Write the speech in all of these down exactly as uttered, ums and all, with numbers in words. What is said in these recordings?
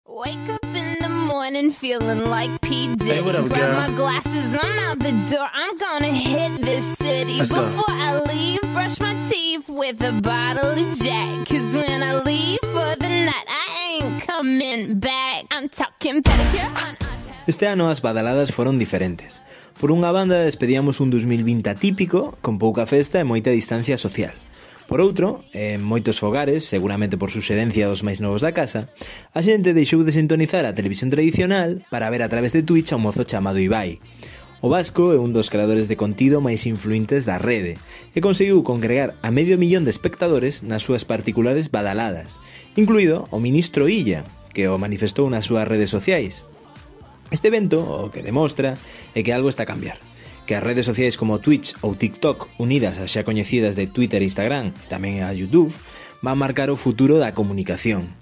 Wake up in the morning feeling like P. Diddy. Hey, what up, Grab girl? my glasses, I'm out the door. I'm gonna hit this city. Let's go. Before I leave, brush my teeth with a bottle of Jack. Cause when I leave for the night, I ain't coming back. I'm talking pedicure on our town. Este ano as badaladas foron diferentes. Por unha banda despedíamos un dos mil vinte atípico, con pouca festa e moita distancia social. Por outro, en moitos fogares, seguramente por suxerencia dos máis novos da casa, a xente deixou de sintonizar a televisión tradicional para ver a través de Twitch a un mozo chamado Ibai. O vasco é un dos creadores de contido máis influentes da rede e conseguiu congregar a medio millón de espectadores nas súas particulares badaladas, incluído o ministro Illa, que o manifestou nas súas redes sociais. Este evento o que demostra é que algo está a cambiar, que as redes sociais como Twitch ou TikTok, unidas ás xa coñecidas de Twitter e Instagram, tamén a YouTube, van marcar o futuro da comunicación.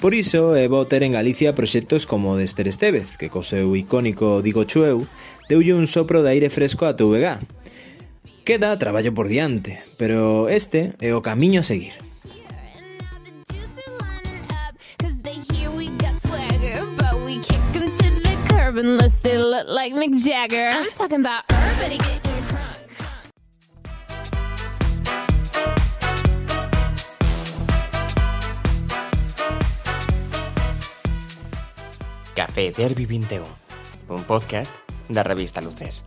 Por iso é bo ter en Galicia proxectos como o de Esther Estévez, que co seu icónico Digo Chueu deulle un sopro de aire fresco a T V G. Queda traballo por diante, pero este é o camiño a seguir. And now the dudes are lining up, cause they hear we got swagger. But we kick them to the curb unless they look like Mick Jagger. I'm talking about everybody getting crunk. Café Derbi vinte e un, un podcast da revista Luces.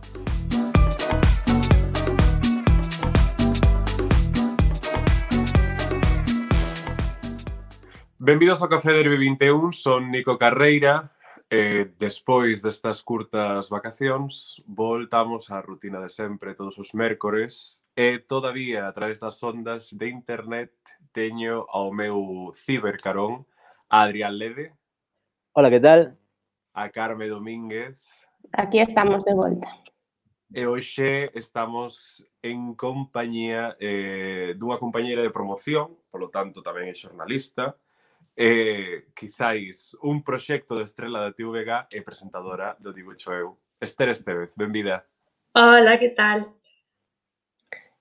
Benvidos ao Café Derbi vinte e un, son Nico Carreira. E despois destas curtas vacacións, voltamos á rutina de sempre todos os mércores e todavía a través das ondas de internet teño ao meu cibercarón a Adrián Lede, Hola, que tal? a Carme Domínguez Aquí estamos de volta. e hoxe estamos en compañía eh, dunha compañeira de promoción, polo tanto tamén é xornalista, e quizáis un proxecto de estrela da T V G e presentadora do Digo Eu. Esther Estévez, benvida. Hola, que tal?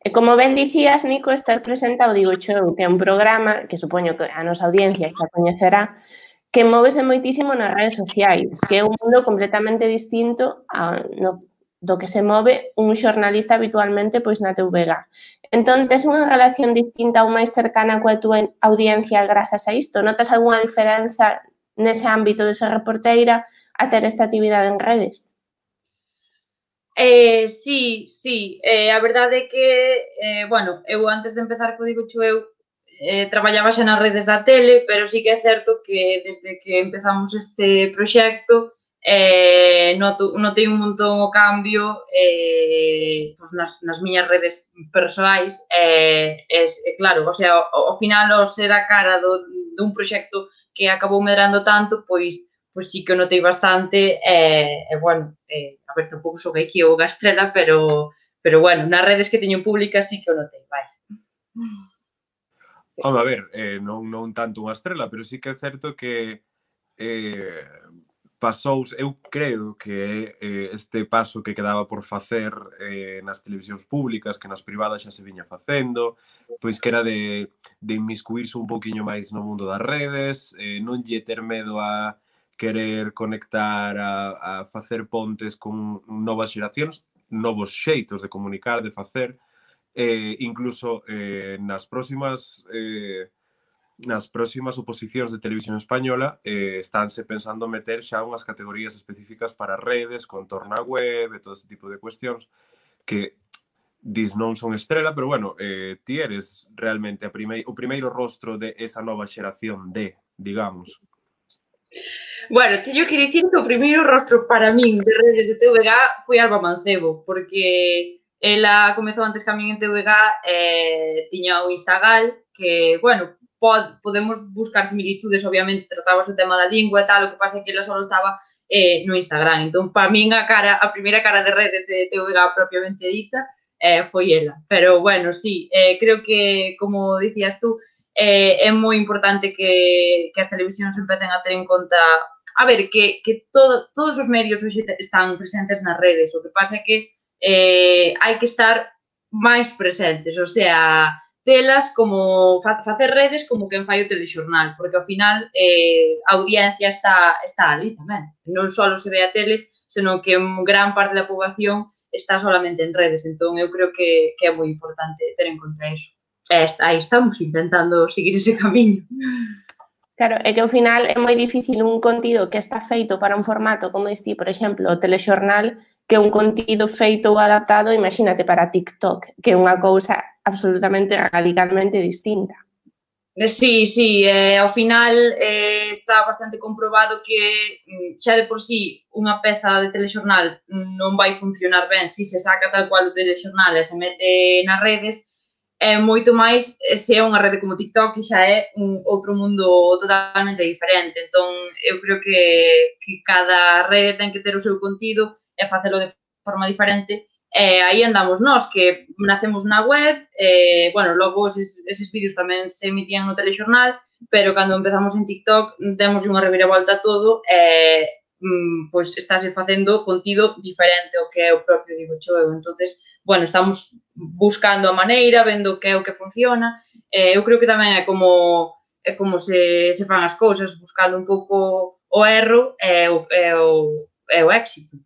E como ben dicías, Nico, estar presenta o Digo Show, que é un programa que supoño que a nosa audiencia xa coñecerá, que móvese moitísimo nas redes sociais, que é un mundo completamente distinto a, no, do que se move un xornalista habitualmente pois na T V G. Entón, tes unha relación distinta ou máis cercana coa túa audiencia grazas a isto? Notas algunha diferenza nese ámbito de ser reporteira a ter esta actividade en redes? Eh, sí, sí, eh, a verdade é que, eh, bueno, eu antes de empezar co Digo Eu eh, traballaba xa nas redes da tele, pero sí que é certo que desde que empezamos este proxecto eh, noto, notei un montón o cambio eh, pues nas, nas miñas redes persoais eh, es, eh, claro, o sea, ao, ao final o ser a cara do, dun proxecto que acabou medrando tanto, pois pois sí que o notei bastante e, eh, eh, bueno, eh, a ver, tampouco sou aquí ou gastrela, pero, pero bueno, nas redes que teño públicas sí que o notei, vai. Home, a ver, eh, non, non tanto unha estrela, pero sí que é certo que eh, pasou, eu creo que eh, este paso que quedaba por facer eh, nas televisións públicas, que nas privadas xa se viña facendo, pois que era de, de inmiscuirse un pouquiño máis no mundo das redes, eh, non lle ter medo a querer conectar, a, a facer pontes con novas xeracións, novos xeitos de comunicar, de facer, eh, incluso eh, nas próximas eh, nas próximas oposicións de televisión española eh, estánse pensando meter xa unhas categorías específicas para redes, contorno á web e todo este tipo de cuestións que dis non son estrela, pero bueno, eh, ti eres realmente a primei, o primeiro rostro de esa nova xeración de, digamos. Bueno, teño que dicir que o primeiro rostro para min de redes de T V G foi Alba Mancebo, porque ela comezou antes que a min en T V G, eh, tiña o Instagal, que, bueno, pod, podemos buscar similitudes, obviamente, tratábase o tema da lingua e tal, o que pasa é que ela só estaba eh, no Instagram. Entón, para min, a cara, a primeira cara de redes de T V G propiamente dita eh, foi ela. Pero, bueno, sí, eh, creo que, como dicías tú, eh, é moi importante que, que as televisións empecen a ter en conta, a ver, que, que todo, todos os medios hoxe están presentes nas redes, o que pasa é que eh, hai que estar máis presentes, o sea, telas como fa facer redes como quen fai o telexornal, porque ao final eh, a audiencia está, está ali tamén. Non só se ve a tele, senón que gran parte da poboación está solamente en redes, entón eu creo que, que é moi importante ter en conta iso. E aí estamos intentando seguir ese camiño. Claro, é que ao final é moi difícil un contido que está feito para un formato como este, por exemplo, o telexornal, que un contido feito ou adaptado, imagínate, para TikTok, que é unha cousa absolutamente radicalmente distinta. Sí, sí, eh, ao final eh, está bastante comprobado que xa de por sí unha peza de telexornal non vai funcionar ben se se saca tal cual o telexornal e se mete nas redes, é moito máis se é unha rede como TikTok, que xa é un outro mundo totalmente diferente. Entón, eu creo que, que cada rede ten que ter o seu contido e facelo de forma diferente. E aí andamos nós, que nacemos na web, e, bueno, logo eses, eses vídeos tamén se emitían no telexornal, pero cando empezamos en TikTok demos unha reviravolta a todo e mm, pois estáse facendo contido diferente ao que é o propio, digo xo eu. Entonces, bueno, estamos buscando a maneira, vendo que é o que funciona. Eh, eu creo que tamén é como é como se, se fan as cousas, buscando un pouco o erro e o, e o, e o éxito.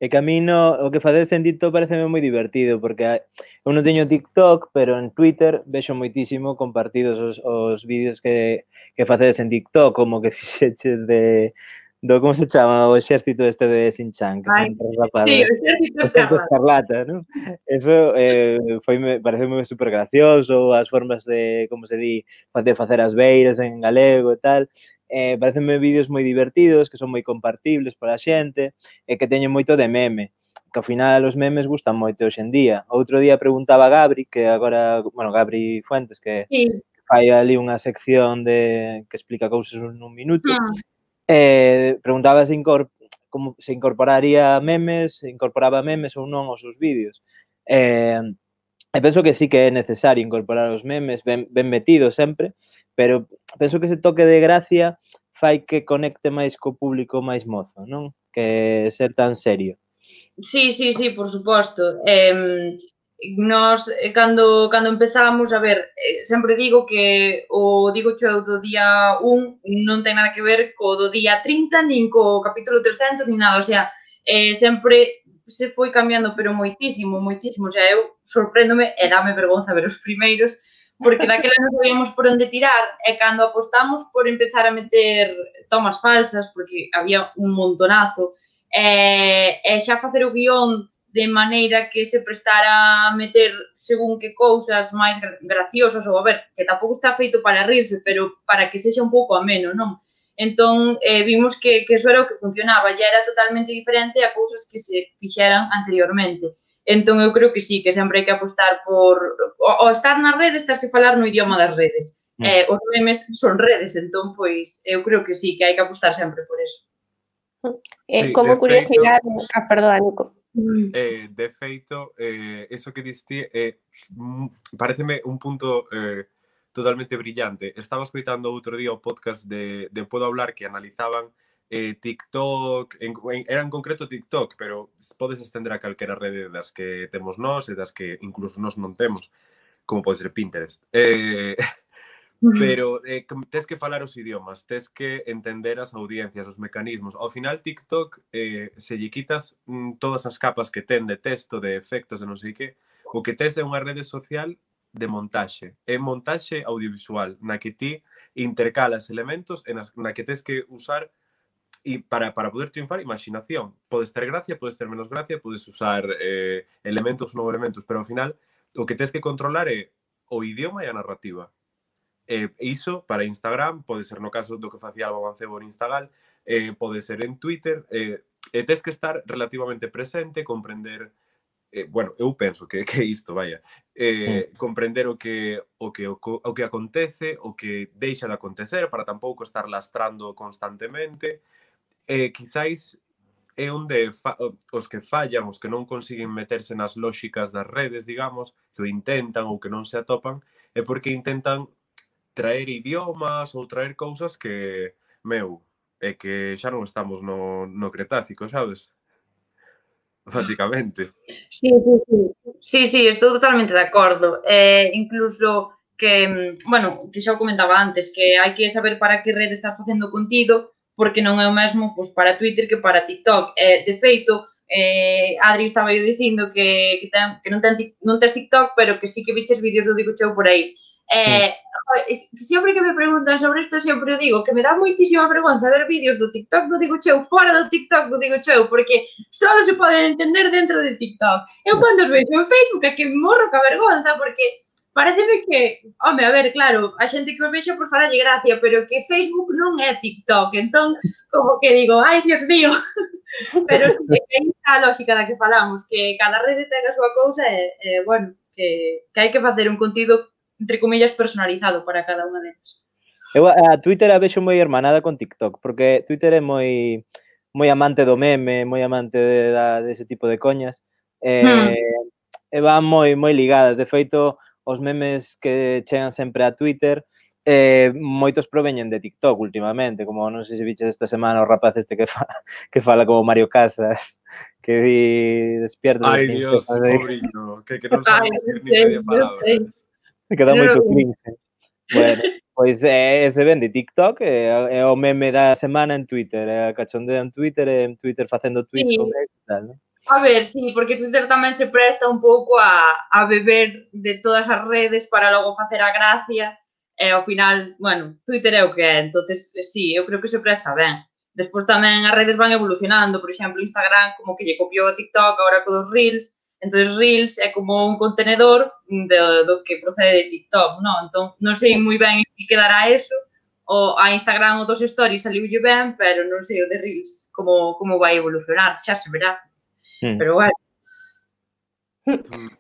E que a mí no, o que facedes en TikTok pareceme moi divertido, porque eu non teño TikTok, pero en Twitter vexo moitísimo compartidos os, os vídeos que, que facedes en TikTok, como que fixeches de... do como se chama o exército este de Shin-Chan, que Ai, son tres rapadas. sí, o exército O exército escarlata. escarlata, non? Eso eh, foi, me parece moi super gracioso, as formas de, como se di, de facer as beiras en galego e tal. Eh, parecenme vídeos moi divertidos, que son moi compartibles para a xente, e que teñen moito de meme, que ao final os memes gustan moito hoxe en día. Outro día preguntaba a Gabri, que agora, bueno, Gabri Fuentes, que Sí. fai ali unha sección de que explica cousas nun minuto, Mm. eh, preguntaba se, incorp como se incorporaría memes, se incorporaba memes ou non aos seus vídeos. Eh, e penso que sí que é necesario incorporar os memes, ben, ben metidos sempre, pero penso que ese toque de gracia fai que conecte máis co público máis mozo, non? Que ser tan serio. Sí, sí, sí, por suposto. Eh, nos, eh, cando, cando empezamos, a ver, eh, sempre digo que o digo xo do día un non ten nada que ver co do día trinta, nin co capítulo trescentos, nin nada, o sea, eh, sempre se foi cambiando, pero moitísimo, moitísimo, o sea, eu sorpréndome e dame vergonza ver os primeiros, porque daquela non sabíamos por onde tirar, e cando apostamos por empezar a meter tomas falsas, porque había un montonazo, e, e xa facer o guión de maneira que se prestara a meter según que cousas máis graciosas, ou a ver, que tampouco está feito para rirse, pero para que sexa un pouco ameno, non? Entón, eh, vimos que, que eso era o que funcionaba, ya era totalmente diferente a cousas que se fixeran anteriormente. Entón, eu creo que sí, que sempre hai que apostar por... O, o estar nas redes, tens que falar no idioma das redes. Mm. Eh, os memes son redes, entón, pois, eu creo que sí, que hai que apostar sempre por eso. Eh, Sí, como de curiosidade... feito, Ah, perdón, Nico. eh, de feito, eh, eso que diste eh, pareceme un punto eh, totalmente brillante. Estaba escoitando outro día o podcast de, de Puedo Hablar, que analizaban eh, TikTok, en, en, era en concreto TikTok, pero podes estender a calquera rede das que temos nós e das que incluso nós non temos, como pode ser Pinterest. Eh, pero eh, tes que falar os idiomas, tes que entender as audiencias, os mecanismos. Ao final, TikTok, eh, se lle quitas mm, todas as capas que ten de texto, de efectos, de non sei que, o que tes é unha rede social de montaxe. É montaxe audiovisual, na que ti intercalas elementos e na que tes que usar e para, para poder triunfar, imaginación. Podes ter gracia, podes ter menos gracia, podes usar eh, elementos ou non elementos, pero ao final o que tes que controlar é o idioma e a narrativa. Eh, iso para Instagram, pode ser no caso do que facía Alba Mancebo en Instagram, eh, pode ser en Twitter, eh, e tes que estar relativamente presente, comprender, eh, bueno, eu penso que, que isto, vaya, eh, mm. comprender o que, o, que, o, o que acontece, o que deixa de acontecer, para tampouco estar lastrando constantemente, eh, quizáis é onde fa, os que fallan, os que non consiguen meterse nas lóxicas das redes, digamos, que o intentan ou que non se atopan, é porque intentan traer idiomas ou traer cousas que, meu, é que xa non estamos no, no Cretácico, sabes? básicamente. Sí, sí, sí. Sí, sí, estou totalmente de acordo. Eh, incluso que, bueno, que xa o comentaba antes, que hai que saber para que rede estás facendo contido, porque non é o mesmo pois, para Twitter que para TikTok. Eh, de feito, eh, Adri estaba eu dicindo que, que, ten, que non, ten, non tes TikTok, pero que sí que viches vídeos do Digo Cheu por aí. Eh, mm. Sempre que me preguntan sobre isto, sempre digo que me dá moitísima vergonza ver vídeos do TikTok do Digo Cheu fora do TikTok do Digo Cheu, porque só se poden entender dentro de TikTok. Eu cando os vexo en Facebook é que me morro ca vergonza, porque pareceme que, home, a ver, claro, a xente que os vexa por faralle gracia, pero que Facebook non é TikTok, entón, como que digo, ai, Dios mío, pero sí, que aí está a lógica da que falamos, que cada rede ten a súa cousa e, e bueno, que, que hai que facer un contido, entre comillas, personalizado para cada unha delas. Eu a Twitter a vexo moi hermanada con TikTok, porque Twitter é moi moi amante do meme, moi amante de, de, de ese tipo de coñas, e, hmm. e van moi moi ligadas. De feito, os memes que chegan sempre a Twitter, eh, moitos proveñen de TikTok últimamente, como non sei se viches esta semana o rapaz este que, fa, que fala como Mario Casas, que di despierta. Ai, Dios, pobriño, que, que non sabe decir ni media palabra. Que dá moito cringe. Bueno, pois eh, ese ven de TikTok, é eh, o meme da semana en Twitter, é eh, cachondeo en Twitter, e en Twitter facendo tweets sí. Con ex e tal, non? A ver, sí, porque Twitter tamén se presta un pouco a, a beber de todas as redes para logo facer a gracia e ao final, bueno, Twitter é o que é, entonces sí, eu creo que se presta ben. Despois tamén as redes van evolucionando, por exemplo, Instagram como que lle copiou a TikTok agora con os Reels, entonces Reels é como un contenedor do, do que procede de TikTok, non? Entón, non sei moi ben que quedará eso, o a Instagram o dos stories saliulle ben, pero non sei o de Reels como, como vai evolucionar, xa se verá. Pero bueno.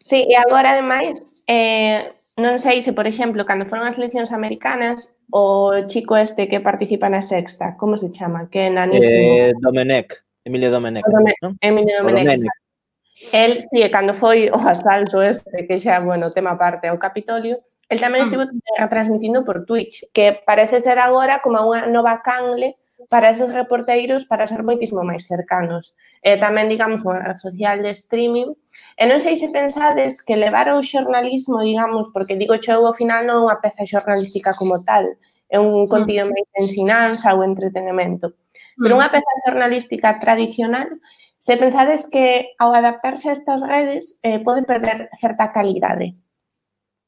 Sí, e agora, ademais, eh, non sei se, por exemplo, cando foron as eleccións americanas, o chico este que participa na Sexta, como se chama? Que é nanísimo. Eh, Domenech, Emilio Domenech. Dome, ¿no? Emilio Domenech. El, sí, cando foi o asalto este, que xa, bueno, tema aparte ao Capitolio, el tamén estivo transmitindo por Twitch, que parece ser agora como unha nova canle para esos reporteiros para ser moitísimo máis cercanos. E tamén, digamos, unha red social de streaming. E non sei se pensades que levar o xornalismo, digamos, porque Digo Cheu ao final non é unha peza xornalística como tal, é un contido máis de ensinanza ou entretenimento. Pero unha peza xornalística tradicional, se pensades que ao adaptarse a estas redes eh, pode perder certa calidade.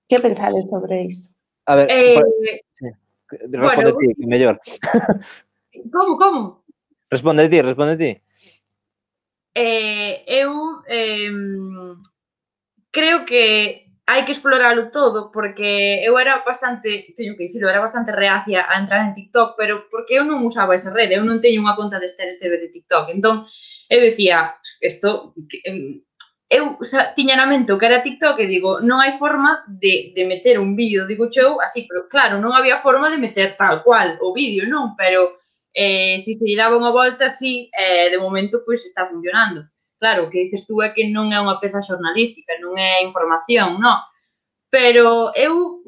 Que pensades sobre isto? A ver, eh, pues, sí. Responde bueno, ti, que mellor. Como, como? Responde ti, responde ti. Eh, eu eh, creo que hai que exploralo todo, porque eu era bastante, teño que dicirlo, era bastante reacia a entrar en TikTok, pero porque eu non usaba esa rede, eu non teño unha conta de Esther Esteve de TikTok, entón eu decía, isto, eu xa, tiña na mente o que era TikTok e digo, non hai forma de, de meter un vídeo, digo Cheu, así, pero claro, non había forma de meter tal cual o vídeo, non, pero eh, se se lle daba unha volta, sí, eh, de momento, pois, está funcionando. Claro, o que dices tú é que non é unha peza xornalística, non é información, non, pero eu,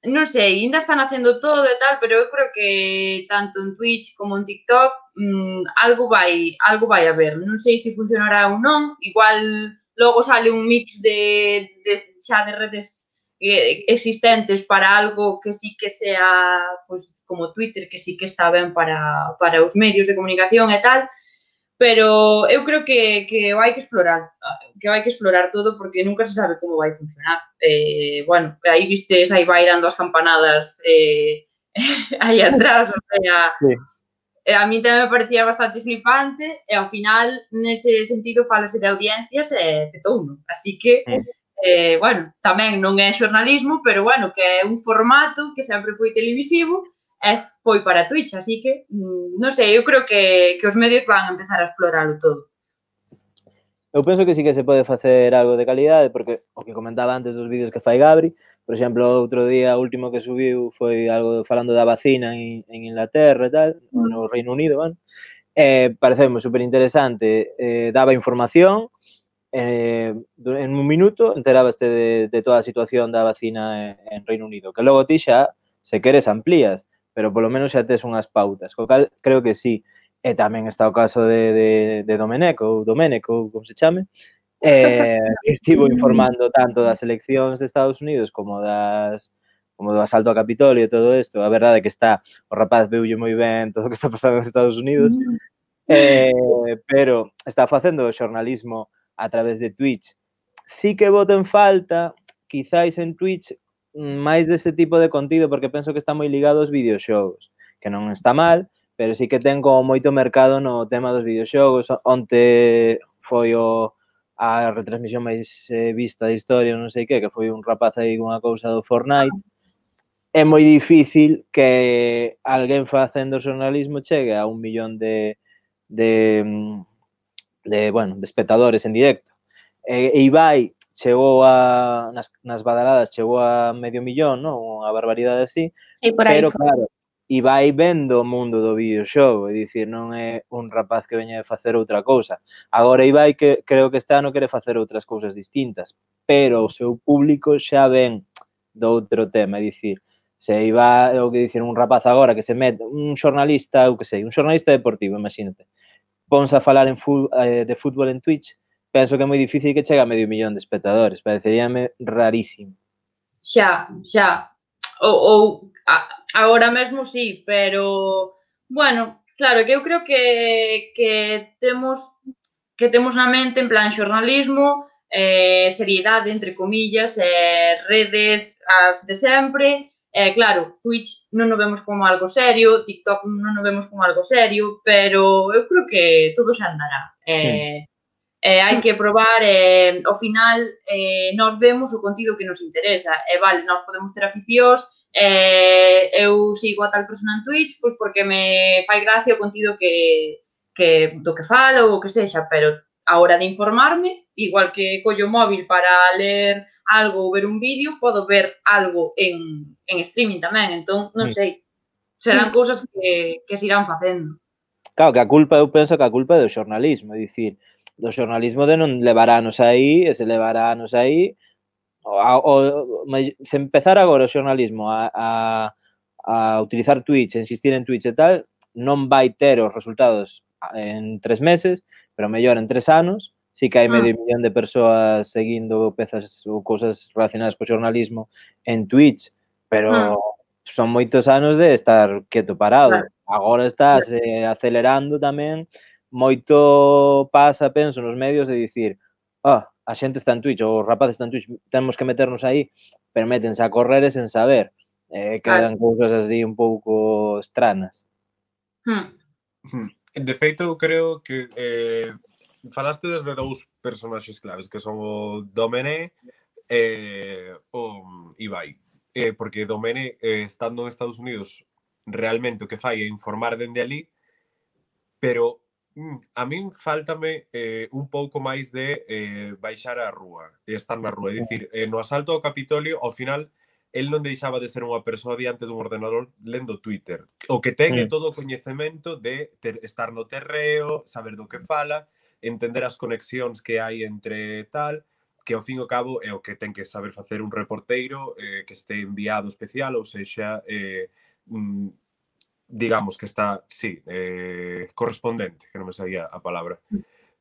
non sei, ainda están facendo todo e tal, pero eu creo que tanto en Twitch como en TikTok mmm, algo vai algo vai haber, non sei se funcionará ou non, igual logo sale un mix de, de xa de redes existentes para algo que sí que sea, pues, como Twitter, que sí que está ben para, para os medios de comunicación e tal, pero eu creo que, que hai que explorar, que hai que explorar todo porque nunca se sabe como vai funcionar. Eh, bueno, aí vistes, aí vai dando as campanadas eh, aí atrás, o sea, sí. A mí tamén me parecía bastante flipante e ao final, nese sentido, falase de audiencias e petouno. Así que, eh, bueno, tamén non é xornalismo, pero bueno, que é un formato que sempre foi televisivo e foi para Twitch, así que, non sei, eu creo que, que os medios van a empezar a explorarlo todo. Eu penso que sí que se pode facer algo de calidade, porque o que comentaba antes dos vídeos que fai Gabri, por exemplo, outro día, o último que subiu foi algo falando da vacina en, en Inglaterra e tal, no Reino Unido, bueno. Eh, pareceu super interesante, eh, daba información, eh, en un minuto enterabaste de, de toda a situación da vacina en, en Reino Unido, que logo ti xa, se queres, amplías, pero polo menos xa tes unhas pautas, co cal creo que sí. E tamén está o caso de, de, de Domenech, ou Domenech, ou como se chame, eh, que estivo informando tanto das eleccións de Estados Unidos como das como do asalto ao Capitolio e todo isto. A verdade é que está, o rapaz veulle moi ben todo o que está pasando nos Estados Unidos, eh, pero está facendo xornalismo a través de Twitch. Sí que boto en falta, quizáis en Twitch, máis dese tipo de contido, porque penso que está moi ligado aos videoxogos, que non está mal, pero sí que ten como moito mercado no tema dos videoxogos. Onte foi o, a retransmisión máis eh, vista da historia, non sei que, que foi un rapaz aí con unha cousa do Fortnite. É moi difícil que alguén facendo xornalismo chegue a un millón de, de, de, bueno, de espectadores en directo. E, e Ibai chegou a, nas, nas badaladas, chegou a medio millón, non? Unha barbaridade así. Sí, por aí Pero, foi. claro, Ibai vendo o mundo do videoxogo, é dicir, non é un rapaz que veña de facer outra cousa. Agora Ibai que creo que este ano quere facer outras cousas distintas, pero o seu público xa ven do outro tema, é dicir, se Ibai, o que dicir, un rapaz agora que se mete, un xornalista, eu que sei, un xornalista deportivo, imagínate, ponse a falar en fu, eh, de fútbol en Twitch, penso que é moi difícil que chegue a medio millón de espectadores, pareceríame rarísimo. Xa, xa. Ou, ou a, agora mesmo sí, pero bueno, claro, que eu creo que, que temos que temos na mente en plan xornalismo, eh, seriedade, entre comillas, eh, redes as de sempre. Eh, claro, Twitch non o vemos como algo serio, TikTok non o vemos como algo serio, pero eu creo que todo xa andará. Eh, mm. Eh, hai que probar, eh, ao final eh, nós vemos o contido que nos interesa, e eh, vale, nós podemos ter aficións, eh, eu sigo a tal persona en Twitch pois porque me fai gracia o contido que, que do que fala ou o que sexa, pero a hora de informarme, igual que collo o móvil para ler algo ou ver un vídeo, podo ver algo en, en streaming tamén, entón, non sei, serán cousas que, que se irán facendo. Claro, que a culpa, eu penso que a culpa é do xornalismo, é dicir, do xornalismo de non levar anos aí, e se levar anos aí, o, o, se empezar agora o xornalismo a, a, a utilizar Twitch, a insistir en Twitch e tal, non vai ter os resultados en tres meses, pero mellor en tres anos, sí que hai medio ah. millón de persoas seguindo pezas ou cousas relacionadas co xornalismo en Twitch, pero ah. son moitos anos de estar quieto parado. Ah. Agora estás eh, acelerando tamén. Moito pasa, penso, nos medios de dicir ah, a xente está en Twitch, ou os rapaces están en Twitch, temos que meternos aí, pero métense a correr e sen saber. Eh, quedan ah. cousas así un pouco estranas. Hmm. De feito, eu creo que eh, falaste desde dous personaxes claves, que son o Domenech e eh, o Ibai. Eh, porque Domenech, eh, estando en Estados Unidos, realmente o que fai é informar dende ali, pero a min faltame eh, un pouco máis de eh, baixar a rúa e estar na rúa. É dicir, eh, no asalto ao Capitolio, ao final, el non deixaba de ser unha persoa diante dun ordenador lendo Twitter. O que ten é todo o coñecemento de ter, estar no terreo, saber do que fala, entender as conexións que hai entre tal, que ao fin e ao cabo é o que ten que saber facer un reporteiro eh, que este enviado especial, ou sexa, eh, mm, digamos que está, sí, eh, correspondente, que non me sabía a palabra.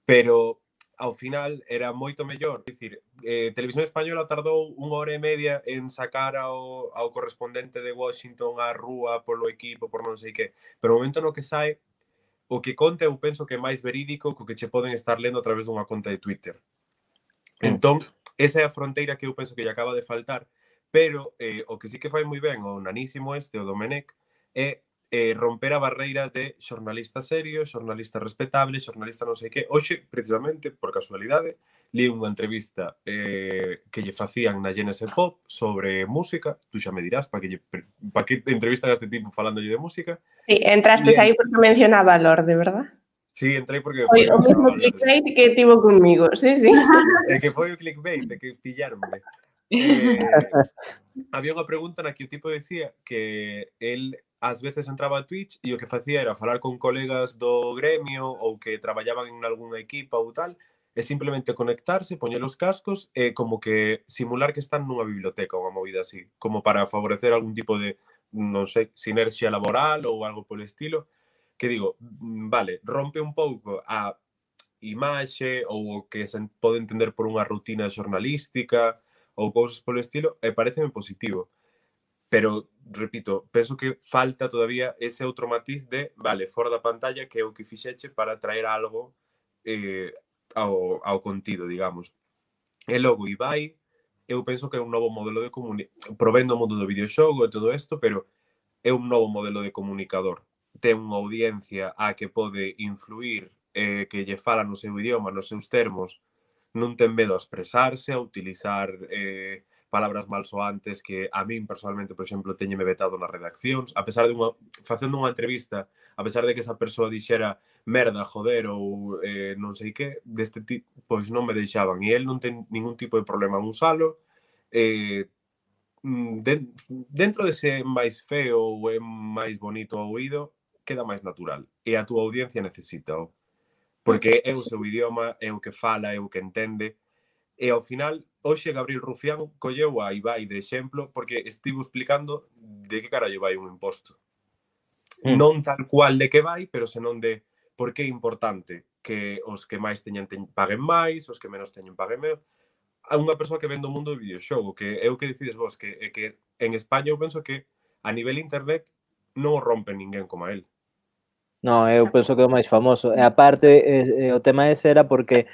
Pero, ao final, era moito mellor. É dicir, eh, Televisión Española tardou unha hora e media en sacar ao, ao correspondente de Washington á rúa polo equipo, por non sei que. Pero o momento no que sae, o que conta eu penso que é máis verídico co que che poden estar lendo a través dunha conta de Twitter. Entón, esa é a fronteira que eu penso que lle acaba de faltar, pero eh, o que sí que fai moi ben o nanísimo este, o Domenech, é eh, romper a barreira de xornalista serio, xornalista respetable, xornalista non sei que. Hoxe, precisamente, por casualidade, li unha entrevista eh, que lle facían na Genesis Pop sobre música. Tú xa me dirás para que, lle, pa que entrevistan a este tipo falándolle de música. Sí, entrastes aí porque mencionaba a Lorde, verdad? Sí, entrei porque... Foi o mesmo clickbait que tivo conmigo, sí, sí. É que foi o clickbait, é que pillaronme. Eh, había unha pregunta na que o tipo decía que el ás veces entraba a Twitch e o que facía era falar con colegas do gremio ou que traballaban en algunha equipa ou tal, e simplemente conectarse, poñer os cascos e como que simular que están nunha biblioteca ou unha movida así, como para favorecer algún tipo de, non sei, sinerxia laboral ou algo polo estilo. que digo, vale, rompe un pouco a imaxe ou o que se pode entender por unha rutina xornalística ou cousas polo estilo, e pareceme positivo. Pero, repito, penso que falta todavía ese outro matiz de, vale, fora da pantalla, que é o que fixeche para traer algo eh, ao, ao contido, digamos. E logo, Ibai, eu penso que é un novo modelo de comunicación, provendo o mundo do videoxogo e todo isto, pero é un novo modelo de comunicador. Ten unha audiencia a que pode influir, eh, que lle fala no seu idioma, nos seus termos, non ten medo a expresarse, a utilizar eh, palabras malsoantes que a min personalmente, por exemplo, teñeme vetado nas redaccións, a pesar de unha, facendo unha entrevista, a pesar de que esa persoa dixera merda, joder ou eh, non sei que, deste tipo, pois non me deixaban, e el non ten ningún tipo de problema en usalo. Eh, de, dentro dese máis feo ou é máis bonito ao oído, queda máis natural, e a túa audiencia necesita o porque é o seu idioma, é o que fala, é o que entende. E ao final, hoxe Gabriel Rufián colleu a Ibai de exemplo porque estivo explicando de que carallo vai un imposto. Mm. Non tal cual de que vai, pero senón de por que é importante que os que máis teñen, teñen paguen máis, os que menos teñen paguen menos. A unha persoa que vende o mundo do videoxogo, que é o que decides vos, que, é que en España eu penso que a nivel internet non o rompe ninguén como a él. No, eu penso que é o máis famoso. E aparte, e, e, o tema ese era porque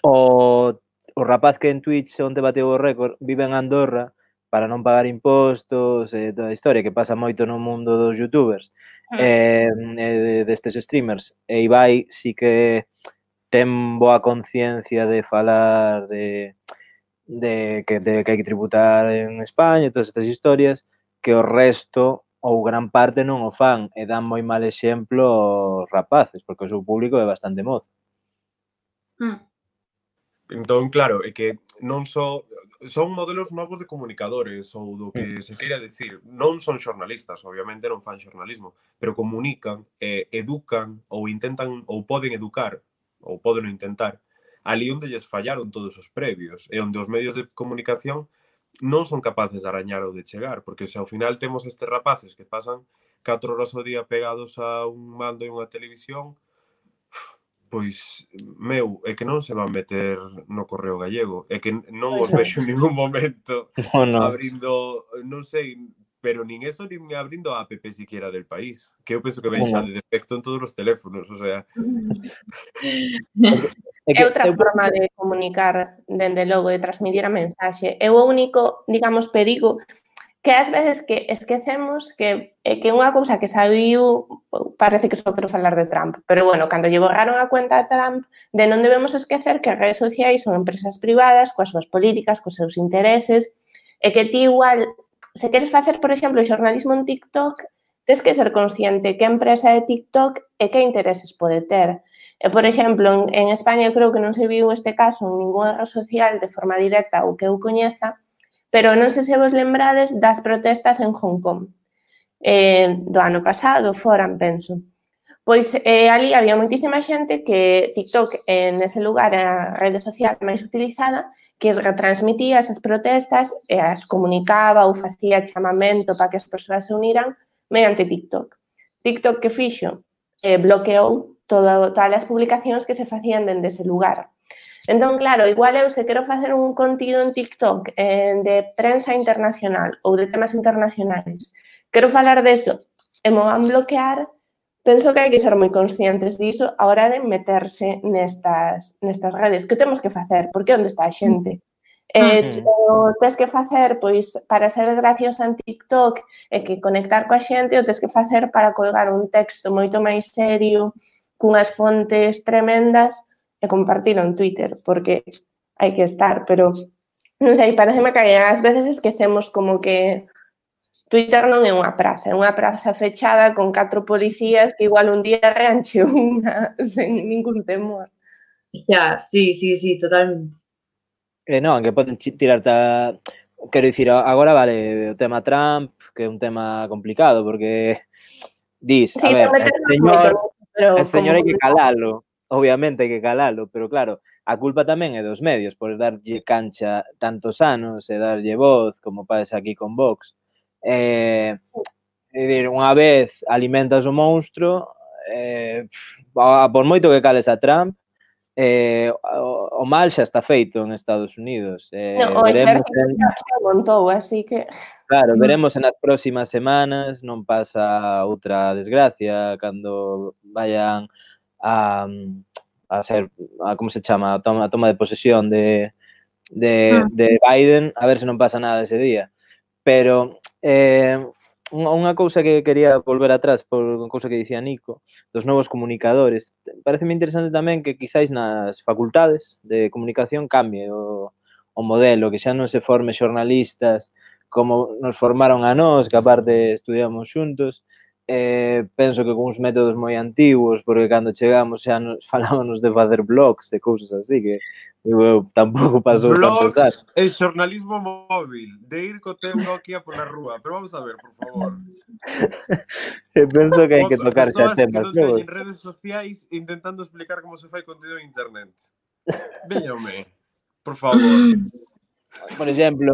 o, o rapaz que en Twitch onde bateu o récord vive en Andorra para non pagar impostos e toda a historia que pasa moito no mundo dos youtubers e, e destes streamers. E Ibai sí que ten boa conciencia de falar de, de, que, de que hai que tributar en España e todas estas historias que o resto ou gran parte non o fan e dan moi mal exemplo aos rapaces, porque o seu público é bastante mozo. Mm. Entón, claro, é que non só son modelos novos de comunicadores ou do que se queira decir. Non son xornalistas, obviamente non fan xornalismo, pero comunican, eh, educan ou intentan ou poden educar ou poden intentar ali onde lles fallaron todos os previos e onde os medios de comunicación non son capaces de arañar ou de chegar, porque se ao final temos estes rapaces que pasan catro horas ao día pegados a un mando e unha televisión, pois, meu, é que non se van meter no Correo Gallego, é que non os vexo en ningún momento no, no. abrindo, non sei, pero nin eso, nin abrindo a app siquiera del país, que eu penso que ven xa de defecto en todos os teléfonos, o sea... É, que, é outra eu... forma de comunicar, dende logo, de transmitir a mensaxe. É o único, digamos, perigo que ás veces que esquecemos que, que unha cousa que saiu, parece que só quero falar de Trump, pero bueno, cando lle borraron a cuenta a Trump, de non debemos esquecer que as redes sociais son empresas privadas, coas súas políticas, cos seus intereses, e que ti igual, se queres facer, por exemplo, xornalismo en TikTok, tens que ser consciente que empresa é TikTok e que intereses pode ter. E, por exemplo, en, en España eu creo que non se viu este caso en ninguna rede social de forma directa ou que eu coñeza, pero non sei se vos lembrades das protestas en Hong Kong eh, do ano pasado, foran, penso. Pois eh, ali había moitísima xente que TikTok en ese lugar era a rede social máis utilizada, que retransmitía esas protestas e as comunicaba ou facía chamamento para que as persoas se uniran mediante TikTok. TikTok que fixo? Eh, bloqueou Todo, todas as publicacións que se facían dende ese lugar. Entón, claro, igual eu se quero facer un contido en TikTok eh, de prensa internacional ou de temas internacionais, quero falar deso e me van bloquear, penso que hai que ser moi conscientes diso a hora de meterse nestas, nestas redes. Que temos que facer? Porque onde está a xente? Eh, o tens que facer, pois, para ser graciosa en TikTok e que conectar coa xente, o tens que facer para colgar un texto moito máis serio, cunhas fontes tremendas e compartilo en Twitter, porque hai que estar, pero non sei, pareceme que ás veces esquecemos como que Twitter non é unha praza, é unha praza fechada con catro policías que igual un día reanche unha sen ningún temor. Ya, sí, sí, sí, totalmente. Eh, non, que poden tirarte a... Quero dicir, agora vale o tema Trump, que é un tema complicado, porque dis, sí, a ver, el señor... Pero el señor hai que calalo, obviamente hai que calalo, pero claro, a culpa tamén é dos medios por darlle cancha tantos anos e darlle voz, como pasa aquí con Vox. Eh, é dir, unha vez alimentas o monstro eh, a, por moito que cales a Trump, eh, o, o mal xa está feito en Estados Unidos. Eh, No, o veremos exército en, xa xa montou, así que... claro, veremos en as próximas semanas, non pasa outra desgracia, cando vayan a, a ser, a, como se chama, a toma, a toma de posesión de, de, de Biden, a ver se non pasa nada ese día. Pero eh, unha cousa que quería volver atrás por unha cousa que dicía Nico, dos novos comunicadores. Pareceme interesante tamén que quizáis nas facultades de comunicación cambie o, o modelo, que xa non se forme xornalistas como nos formaron a nós, que aparte estudiamos xuntos. Eh, penso que con uns métodos moi antigos, porque cando chegamos xa nos falábamos de facer blogs e cousas así, que eu, tampouco pasou tantos anos. Blogs e xornalismo móvil, de ir co teu Nokia pola rúa, pero vamos a ver, por favor. Penso que hai que tocar xa temas. Persoas que non teñen redes sociais intentando explicar como se fai contido en internet. Veñame, por favor. Por exemplo,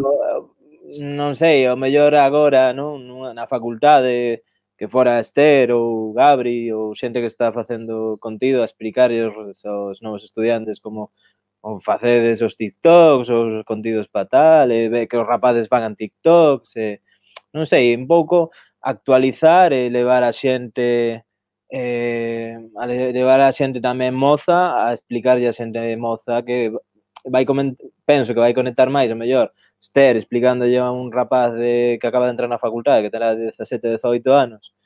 non sei, o mellor agora, non, na facultade, que fora Esther ou Gabri ou xente que está facendo contido a explicarles aos novos estudiantes como, como facedes os TikToks, os contidos para tal, e que os rapaces fagan TikToks, e, non sei, un pouco actualizar e levar a xente eh, a levar a xente tamén moza a explicarlle a xente moza que vai penso que vai conectar máis, o mellor, Esther explicándolle a un rapaz de, que acaba de entrar na facultade, que terá dezasete, dezoito anos,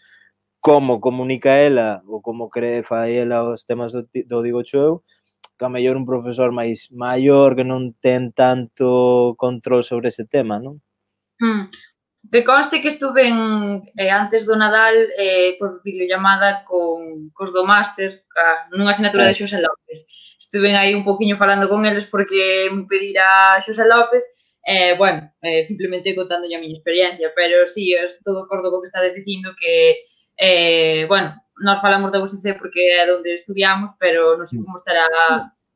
como comunica ela ou como cree fai ela os temas do, do digo eu, que a mellor un profesor máis maior que non ten tanto control sobre ese tema, non? Hmm. Que conste que estuve en, eh, antes do Nadal eh, por videollamada con cos do máster, ca, nunha asignatura de Xosé López. Estuve aí un poquinho falando con eles porque me pedira Xosé López. Eh, bueno, eh, simplemente contando a miña experiencia, pero sí, estou de acordo co que estades dicindo que, eh, bueno, nós falamos da U S C porque é onde estudiamos, pero non sei como estará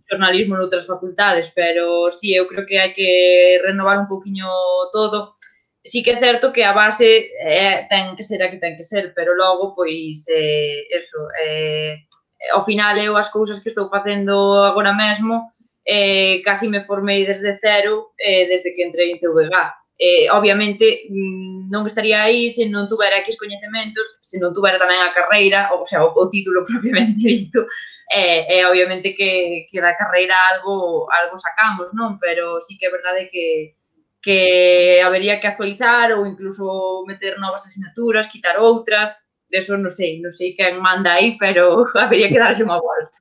xornalismo noutras facultades, pero sí, eu creo que hai que renovar un poquinho todo. Sí que é certo que a base eh, ten que ser a que ten que ser, pero logo, pois, eh, eso, eh, ao final eu as cousas que estou facendo agora mesmo, Eh, casi me formei desde cero eh, desde que entrei en T V G. Eh, obviamente, non estaría aí se non tuvera X coñecementos, se non tuvera tamén a carreira, ou sea, o, o título propiamente dito, e eh, eh, obviamente que, que da carreira algo, algo sacamos, non? Pero sí que é verdade que, que habería que actualizar ou incluso meter novas asignaturas, quitar outras, eso non sei, non sei quen manda aí, pero habería que darlle unha volta.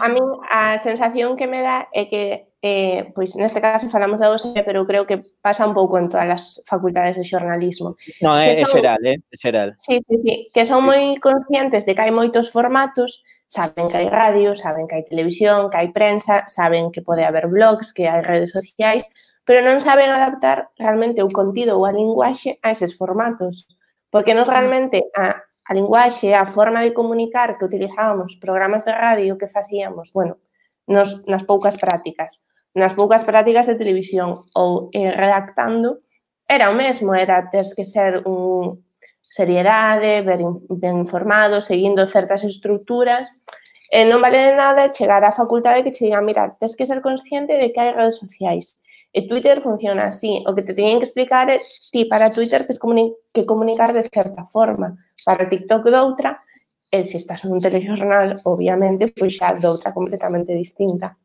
A min a sensación que me dá é que, eh, pois neste caso falamos da U S C, pero creo que pasa un pouco en todas as facultades de xornalismo. Non, é, son, é xeral, é xeral. Sí, sí, sí, que son moi conscientes de que hai moitos formatos, saben que hai radio, saben que hai televisión, que hai prensa, saben que pode haber blogs, que hai redes sociais, pero non saben adaptar realmente o contido ou a linguaxe a eses formatos. Porque nos realmente a a linguaxe, a forma de comunicar que utilizábamos, programas de radio que facíamos, bueno, nos, nas poucas prácticas, nas poucas prácticas de televisión ou eh, redactando, era o mesmo, era tes que ser un seriedade, ben, ben informado, seguindo certas estructuras, e non vale de nada chegar á facultade que che digan, mira, tes que ser consciente de que hai redes sociais, e Twitter funciona así, o que te teñen que explicar é, ti, para Twitter tes que comunicar de certa forma, para TikTok doutra, e se estás nun telexornal, obviamente, pois xa doutra completamente distinta.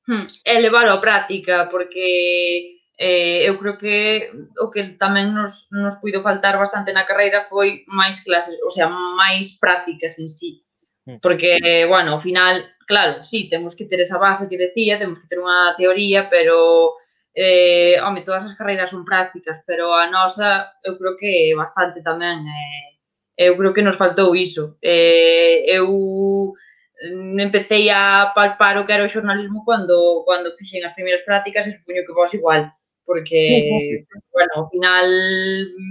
Hmm, é levar a práctica, porque eh, eu creo que o que tamén nos, nos puido faltar bastante na carreira foi máis clases, o sea, máis prácticas en sí. Porque, bueno, ao final, claro, sí, temos que ter esa base que decía, temos que ter unha teoría, pero, eh, home, todas as carreiras son prácticas, pero a nosa, eu creo que bastante tamén, eh, eu creo que nos faltou iso. Eh, eu empecé a palpar o que era o xornalismo cando, cando fixen as primeiras prácticas e supoño que vos igual, porque, sí, bueno, ao final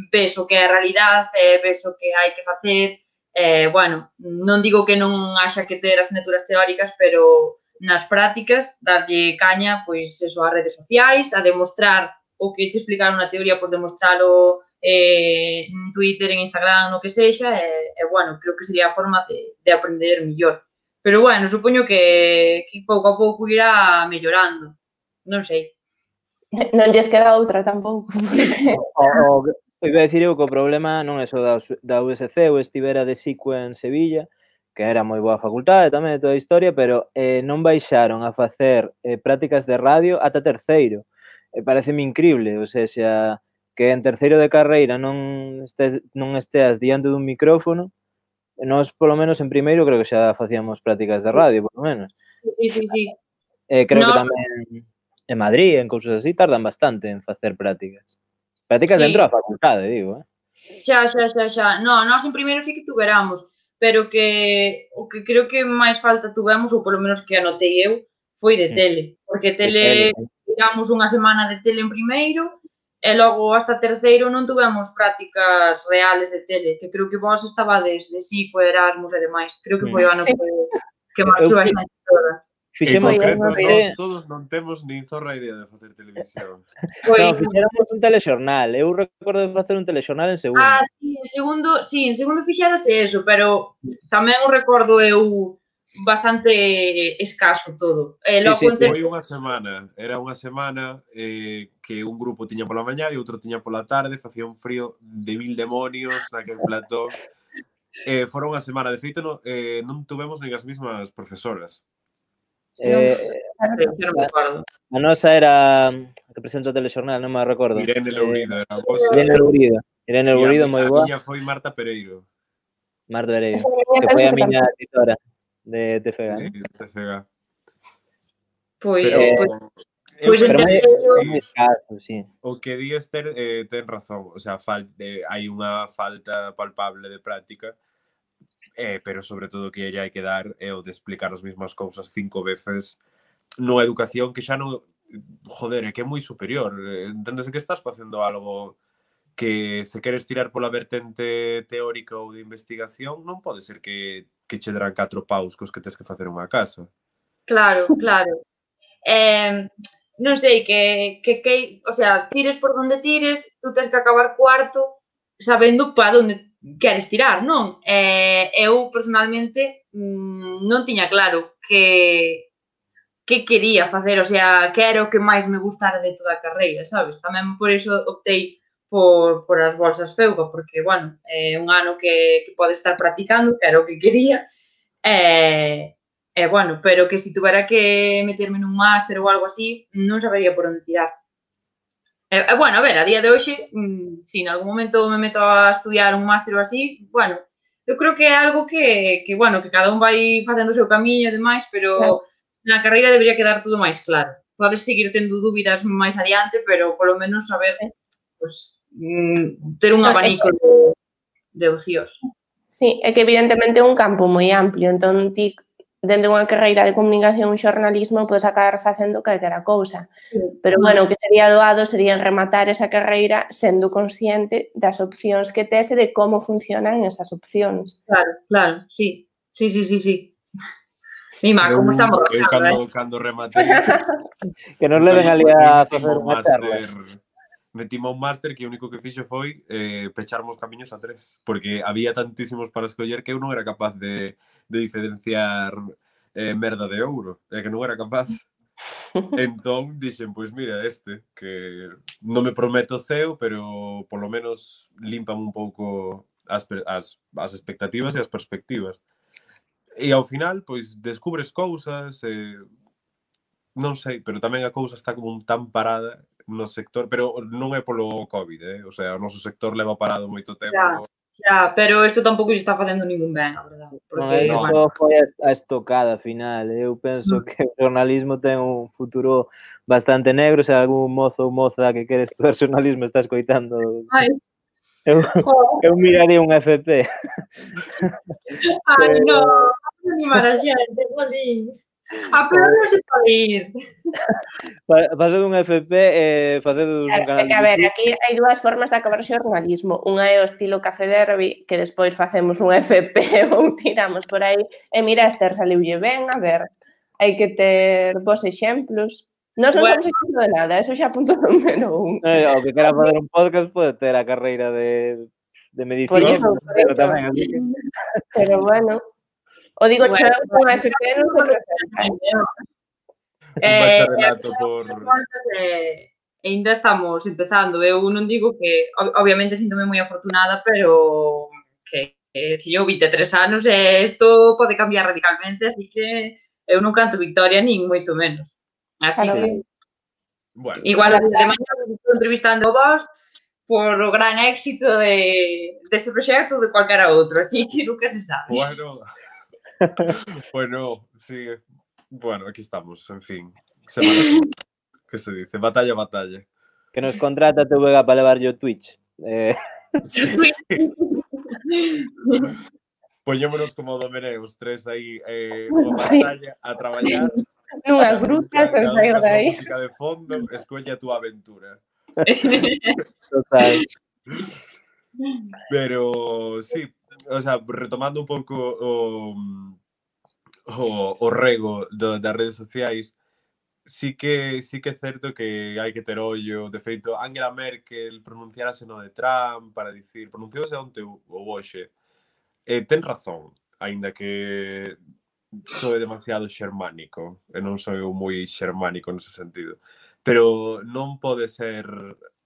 ves o que é a realidade, ves o que hai que facer, eh, bueno, non digo que non haxa que ter asignaturas teóricas, pero nas prácticas darlle caña, pois, eso, ás redes sociais, a demostrar o que te explicaron na teoría, pois demostralo eh, en Twitter, en Instagram, no que sexa, e, eh, bueno, creo que sería a forma de, de aprender millor. Pero, bueno, supoño que, que pouco a pouco irá mellorando. Non sei. Non lles queda outra tampouco. Porque... O, o, iba a dicir eu que o problema non é só da, da U S C, eu estivera de S I C U en Sevilla, que era moi boa facultade tamén de toda a historia, pero eh, non baixaron a facer eh, prácticas de radio ata terceiro. E pareceme increíble, ou sea, que en terceiro de carreira non estés, non esteas diante dun micrófono. Nós, polo menos, en primeiro, creo que xa facíamos prácticas de radio, polo menos. Sí, sí, sí. Eh, creo Nos... que tamén en Madrid, en cousas así, tardan bastante en facer prácticas. Prácticas sí. Dentro da facultade, digo, eh? Xa, xa, xa, xa. No, nós en primeiro sí que tuveramos, pero que o que creo que máis falta tuvemos, ou polo menos que anotei eu, foi de tele. Porque tele, tiramos unha semana de tele en primeiro, e logo hasta terceiro non tuvemos prácticas reales de tele, que creo que vos estabades de S I C U, Erasmus e demais. Creo que foi o ano sí. que, que máis tuve a xente toda. Fixemos, en concreto, nós todos non temos nin zorra idea de facer televisión. Foi... No, fixéramos un telexornal. Eu recordo de facer un telexornal en segundo. Ah, sí, en segundo, sí, en segundo fixérase eso, pero tamén o recordo eu bastante escaso todo. Eh, sí, sí, ter... foi unha semana, era unha semana eh, que un grupo tiña pola mañá e outro tiña pola tarde, facía un frío de mil demonios naquel plató. Eh, fora unha semana, de feito non, eh, non tuvemos nin as mismas profesoras. Eh, no, a, a nosa era a que presenta o telexornal, non me recordo. Irene Lourido, era vos. Irene Lourido, Irene Lourido, moi boa. A miña foi Marta Pereiro. Marta Pereiro, que foi a miña editora de T F G, sí, ¿no? T F G. Pois, pero, eh, eu, pois pero moi, sí, escaso, sí. O que di Esther eh, ten razón, o sea, fal, eh, hai unha falta palpable de práctica, eh, pero sobre todo que ella hai que dar é o de explicar as mesmas cousas cinco veces nunha educación que xa non, joder, é que é moi superior. Entendes que estás facendo algo que se queres tirar pola vertente teórica ou de investigación, non pode ser que, que che darán catro paus cos que tes que facer unha casa. Claro, claro. Eh, non sei, que, que, que, o sea, tires por donde tires, tú tens que acabar cuarto sabendo para onde queres tirar, non? Eh, eu, personalmente, mmm, non tiña claro que que quería facer, o sea, que era o que máis me gustara de toda a carreira, sabes? Tamén por iso optei por, por as bolsas FEUCA, porque, bueno, é un ano que, que pode estar practicando, que era o que quería, e, e, bueno, pero que se si tuvera que meterme nun máster ou algo así, non sabería por onde tirar. E, e, bueno, a ver, a día de hoxe, mmm, se si en algún momento me meto a estudiar un máster ou así, bueno, eu creo que é algo que, que bueno, que cada un vai facendo o seu camiño e demais, pero claro, na carreira debería quedar todo máis claro. Podes seguir tendo dúbidas máis adiante, pero polo menos saber, pues, ter un abanico de, de opcións. Sí, é que evidentemente é un campo moi amplio, entón ti, dende unha carreira de comunicación e xornalismo, podes acabar facendo calquera cousa. Pero, bueno, o que sería doado sería rematar esa carreira sendo consciente das opcións que tes e de como funcionan esas opcións. Claro, claro, sí. Sí, sí, sí, sí. Mima, como estamos eu, cando, eh? cando rematei que nos leven ali a facer unha charla. Metime un máster que o único que fixo foi eh, pecharmos camiños a tres, porque había tantísimos para escoller que eu non era capaz de, de diferenciar eh, merda de ouro, é que non era capaz. Entón dixen, pois mira, este, que non me prometo ceo, pero polo menos limpan un pouco as, as, as expectativas e as perspectivas. E ao final, pois, descubres cousas, eh, non sei, pero tamén a cousa está como tan parada no sector, pero non é polo COVID, eh? O sea, o noso sector leva parado moito tempo. Ya, ya, pero isto tampouco lle está facendo ningún ben, a verdade. Porque, non, bueno, foi a estocada final. Eu penso mm. que o jornalismo ten un futuro bastante negro, se algún mozo ou moza que quere estudar jornalismo está escoitando. Ai. Eu, eu miraría un F P. Ai, non, non animar a xente, bolín. A peor non se pode ir. Facer un F P e eh, facer un canal. A ver, aquí hai dúas formas de acabar xornalismo. Unha é o estilo Café Derby, que despois facemos un F P ou tiramos por aí. E mira, Esther saliulle ben, a ver, hai que ter vos exemplos. Non son bueno. Somos exemplo de nada, eso xa punto número un. Eh, o que quera fazer un podcast pode ter a carreira de, de medicina. Por eso, por eso. Pero, tamén, así que... pero bueno. O digo Bueno, cheo con F P non se presenta. Un Eh, bacharelato por... eh, ainda estamos empezando. Eu non digo que, ob- obviamente, síntome moi afortunada, pero que, que se eu vinte e tres anos e isto pode cambiar radicalmente, así que eu non canto victoria nin moito menos. Así Claro. que, Bueno, igual de mañá estou entrevistando a vos por o gran éxito de deste proxecto ou de calquera outro, así que nunca se sabe. bueno... bueno, sí. Bueno, aquí estamos, en fin. Semana Santa. ¿Qué se dice? Batalla, batalla. Que nos contrata T V G para levar yo Twitch. Eh, Sí. Poñémonos como domené os tres aí eh, unha Sí. pantalla a traballar. Nunhas Cada un brutas, ca- sen cada un sair ca de súa aí. música de fondo, escolle a túa aventura. total. Pero sí, o sea, retomando un pouco o, o, o rego do, das redes sociais, sí que sí que é certo que hai que ter ollo. De feito, Angela Merkel pronunciarase no de Trump para dicir, pronunciouse onte o hoxe. Eh, ten razón, aínda que soe demasiado xermánico, e non sou eu moi xermánico nese sentido. Pero non pode ser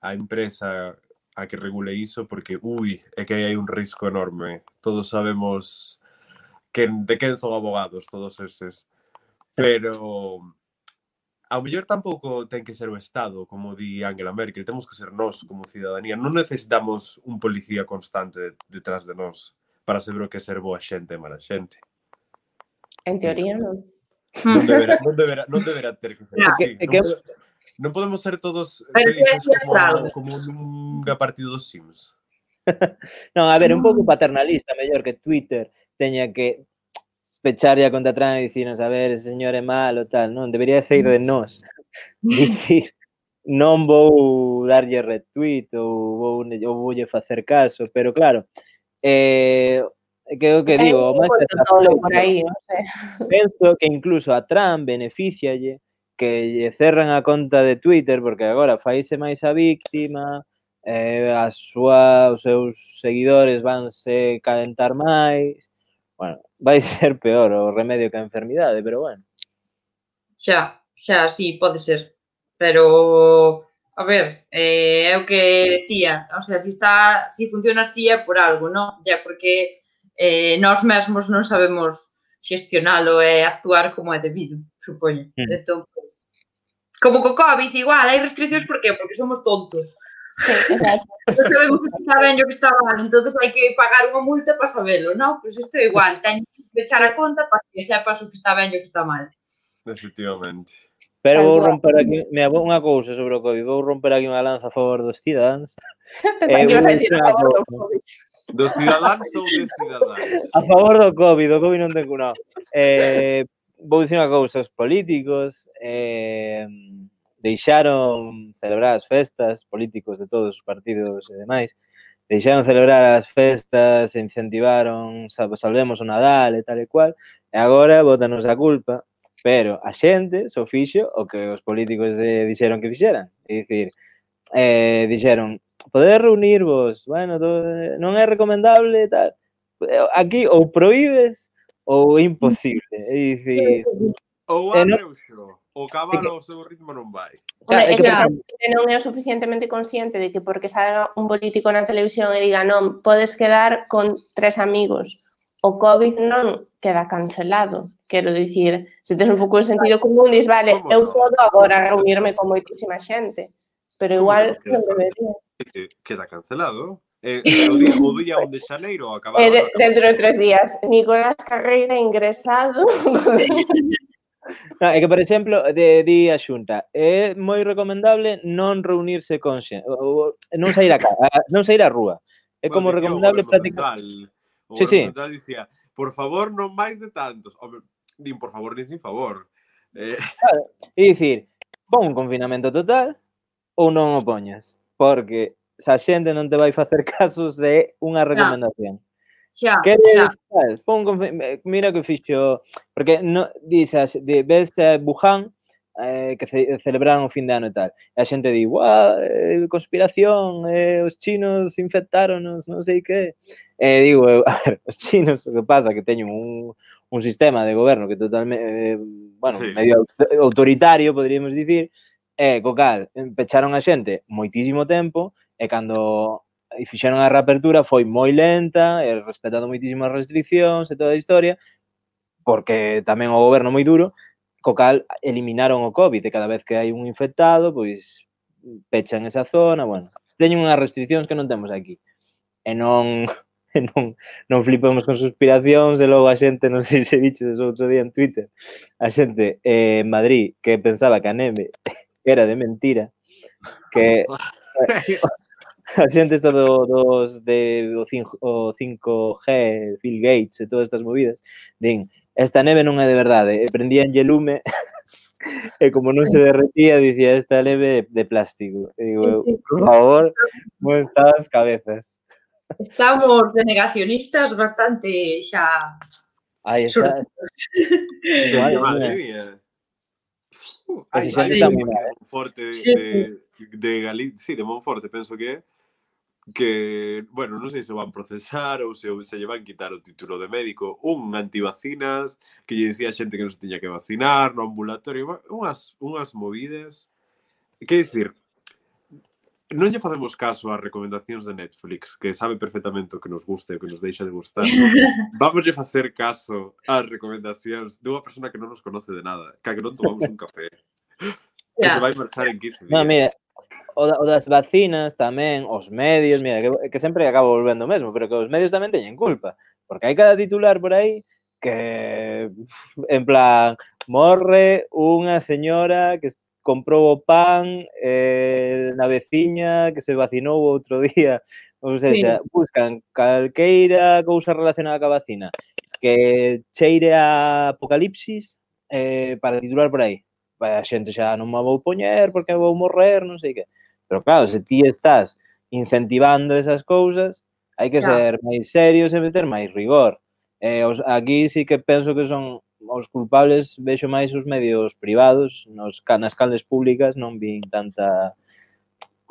a empresa a que regule iso porque, ui, é que hai un risco enorme. Todos sabemos que, de quen son abogados todos eses. Pero ao mellor tampouco ten que ser o Estado, como di Angela Merkel, temos que ser nós como cidadanía. Non necesitamos un policía constante detrás de nós para saber o que é ser boa xente e mala xente. En teoría, non. Non deberá, non deberá, non deberá ter que ser No. así. É Non, que- pode- non podemos ser todos Pero felices que é como, claro. como nunha partida dos Sims. Non, a ver, un pouco paternalista, mellor que Twitter teña que pecharlle a conta atrás e dicirnos, a ver, ese señor é malo, tal, non? Debería ser de nós. Dicir, non vou darlle retweet ou vou, ou voulle facer caso, pero claro, eh, que é o que Hai digo, o un máis pouco tolo por aí, non sei. penso que incluso a Trump beneficialle que lle cerran a conta de Twitter porque agora faise máis a víctima, eh, a súa, os seus seguidores vanse calentar máis. Bueno, vai ser peor o remedio que a enfermidade, pero bueno. Xa, xa, sí, pode ser. Pero, a ver, eh, é o que decía, o sea, si está, si funciona así é por algo, non? Ya, porque eh, nós mesmos non sabemos xestionalo e actuar como é debido, supoño. Mm. Entón, pues, como co COVID, igual, hai restriccións, por qué? Porque somos tontos. Sí, exacto. Non sabemos que está ben e o que está mal, entonces hai que pagar unha multa para sabelo, non? Pois isto é igual, teño que pechar a conta para que sepas o que está ben e o que está mal. Efectivamente. Pero Tal vou cual. romper aquí, mira, vou unha cousa sobre o COVID, vou romper aquí unha lanza a favor dos cidadáns. Pensaba Eh, que ibas a vou dicir dicir a unha favor do cousa. COVID. Dos cidadáns ou de cidadáns? A favor do COVID, do COVID non ten cunado. Eh, vou dicir unha cousa, os políticos eh, deixaron celebrar as festas, políticos de todos os partidos e demais, deixaron celebrar as festas, incentivaron, sal- salvemos o Nadal e tal e cual, e agora botanos a culpa, pero a xente só fixo o que os políticos eh, dixeron que fixeran. É dicir, eh, dixeron, poder reunirvos, bueno, todo, non é recomendable, tal. Aquí ou prohíbes ou é imposible. É dicir, Ou Eh, no- abre o xo, o cabalo ao seu ritmo non vai. claro, é Hombre, que, é por que exemplo, xente non é o suficientemente consciente de que porque salga un político na televisión e diga non, podes quedar con tres amigos. O COVID non queda cancelado. Quero dicir, se tes un pouco de sentido común, dis, vale, Como eu non? podo agora reunirme con moitísima xente. Pero Como igual que non non queda debería. Eh, Queda cancelado. Eh, o día, o día un de xaneiro acaba. Eh, de, dentro de tres días, Nicolás Carreira ingresado. no, é que, por exemplo, de, di a Xunta, é moi recomendable non reunirse con xente, ou- ou- non sair a casa, non sair á rúa. É como recomendable prácticamente. O Sí, goberno sí. central dicía, por favor, non máis de tantos. Home, nin por favor, nin sin favor. Eh, É dicir, pon un confinamento total ou non o poñas, porque se a xente non te vai facer caso se é unha recomendación. Xa, xa. Queres, tal, pon confi- eh, mira que fixo, porque no, dices, de, ves eh, Wuhan, eh, que ce, celebraron o fin de ano e tal, e a xente di, guau, eh, conspiración, eh, os chinos infectáronos, non sei que. E digo, eu, a ver, os chinos, o que pasa que teñen un, un sistema de goberno que totalmente, eh, bueno, Sí. medio autoritario, poderíamos dicir, e co cal pecharon a xente moitísimo tempo e cando fixeron a reapertura foi moi lenta e respetando moitísimas restriccións e toda a historia, porque tamén o goberno moi duro, co cal eliminaron o COVID e cada vez que hai un infectado, pois pechan esa zona, bueno, teñen unhas restriccións que non temos aquí. E non e non, non flipemos con suspiracións e logo a xente, non sei se viches outro día en Twitter, a xente eh, en Madrid que pensaba que a neve era de mentira, que a xente está do, dos de o cinco G, Bill Gates e todas estas movidas, din, esta neve non é de verdade, e prendíanlle lume e como non se derretía, dicía, esta neve de plástico. E digo, por favor, como están as cabezas? Estamos de negacionistas bastante xa... Ai, esa... Madre, Madre madre mía. mía. Uh, Pues hai, si xa hai está un moi de mal, eh. Monforte de, Sí. de, de Galicia, sí, de Monforte, penso que é, que, bueno, non sei se o van procesar ou se, se lle van quitar o título de médico, un antivacinas que lle dicía a xente que non se tiña que vacinar no ambulatorio, unhas, unhas movidas. Que dicir, non lle facemos caso ás recomendacións de Netflix, que sabe perfectamente o que nos gusta e o que nos deixa de gustar. Vamos a facer caso ás recomendacións dunha persona que non nos conoce de nada, que a que non tomamos un café, que se vai marchar en quince días. No, mira, o, da, o das vacinas tamén, os medios, mira, que, que sempre acabo volvendo mesmo, pero que os medios tamén teñen culpa, porque hai cada titular por aí que, en plan, morre unha señora que comprou o pan eh, na veciña que se vacinou outro día, ou seja, sí. Buscan calqueira cousa relacionada ca vacina que cheire a apocalipsis eh, para titular por aí. A xente xa non me vou poñer porque vou morrer, non sei que. Pero claro, se ti estás incentivando esas cousas, hai que ser máis serios e meter máis rigor. Eh, os, aquí sí que penso que son os culpables, vexo máis os medios privados, nos, nas canles públicas non vin tanta...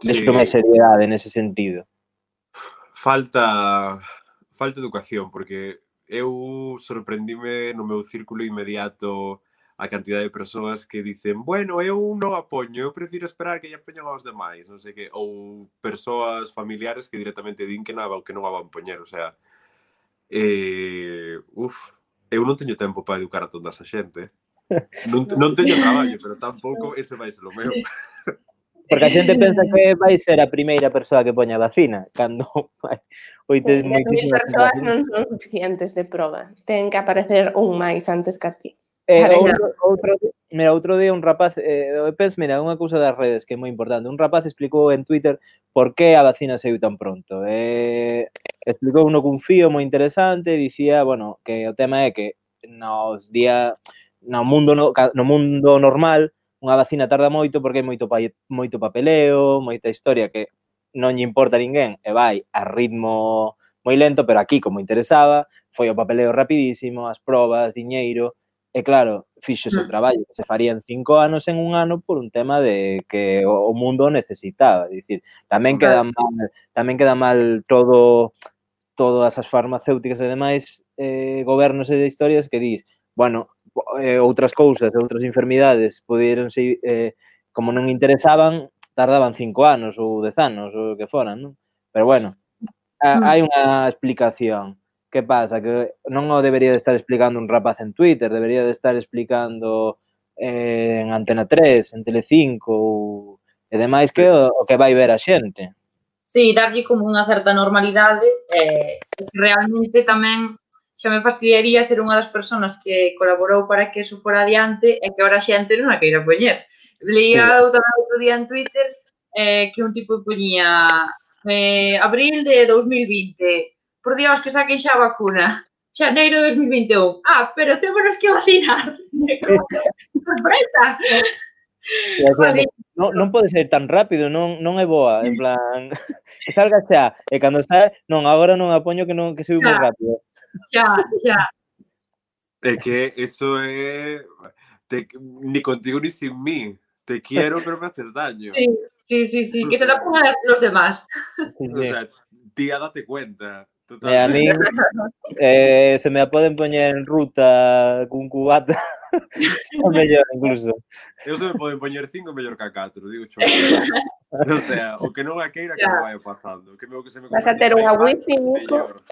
Vexo sí. máis seriedade nese sentido. Falta falta educación, porque eu sorprendime no meu círculo inmediato a cantidad de persoas que dicen, bueno, eu non a poño, eu prefiro esperar que lle poñan aos demais, non sei que, ou persoas familiares que directamente din que non, que non a van poñer, o sea, eh, uf, eu non teño tempo para educar a toda esa xente, non, non teño traballo, pero tampouco ese vai ser o meu. Porque a xente pensa que vai ser a primeira persoa que poña a vacina, cando oites moitísimas persoas non son suficientes de proba, ten que aparecer un máis antes que a ti. Eh, outro, outro, mira, outro día un rapaz, eh, pens, mira, unha cousa das redes que é moi importante. Un rapaz explicou en Twitter por que a vacina saiu tan pronto. Eh, explicou uno cun fío moi interesante, dicía, bueno, que o tema é que nos día no mundo no, no mundo normal unha vacina tarda moito porque hai moito moito papeleo, moita historia que non lle importa a ninguén e vai a ritmo moi lento, pero aquí, como interesaba, foi o papeleo rapidísimo, as probas, diñeiro. E claro, fixose o traballo que se faría en cinco anos en un ano por un tema de que o mundo necesitaba. É dicir, tamén queda mal, tamén queda mal todo todas as farmacéuticas e demais eh, gobernos e de historias que dis, bueno, eh, outras cousas, outras enfermidades poderon ser, eh, como non interesaban, tardaban cinco anos ou dez anos ou o que foran, non? Pero bueno, a, hai unha explicación. Que pasa? Que non o debería de estar explicando un rapaz en Twitter, debería de estar explicando eh, en Antena tres, en Telecinco ou, e demais que o, o que vai ver a xente. Sí, darlle como unha certa normalidade e eh, realmente tamén xa me fastidiaría ser unha das persoas que colaborou para que eso fora adiante e que ahora a xente non a queira poñer. Leía sí. Tamén outro día en Twitter eh, que un tipo poñía eh, abril de dos mil vinte, por Dios, que saquen xa a vacuna. Xaneiro de dos mil vinte e un. Ah, pero témonos que vacinar. Sorpresa! Vale. Non, non pode ser tan rápido, non, non é boa. En plan, que salga xa. E cando está, non, agora non a poño que non que se moi rápido. Xa, xa. É que eso é... Te, ni contigo ni sin mí. Te quiero, pero me haces daño. Sí, sí, sí, sí. Que se la pongan los demás. O sea, tía, date cuenta. Total. E a min, eh, se me a poden poñer en ruta cun cubata, o mellor incluso. Eu se me poden poñer cinco mellor que a catro, digo cho. O sea, o que non a queira que me vaya pasando. Que me, que se me Vas a ter unha wifi, Nico.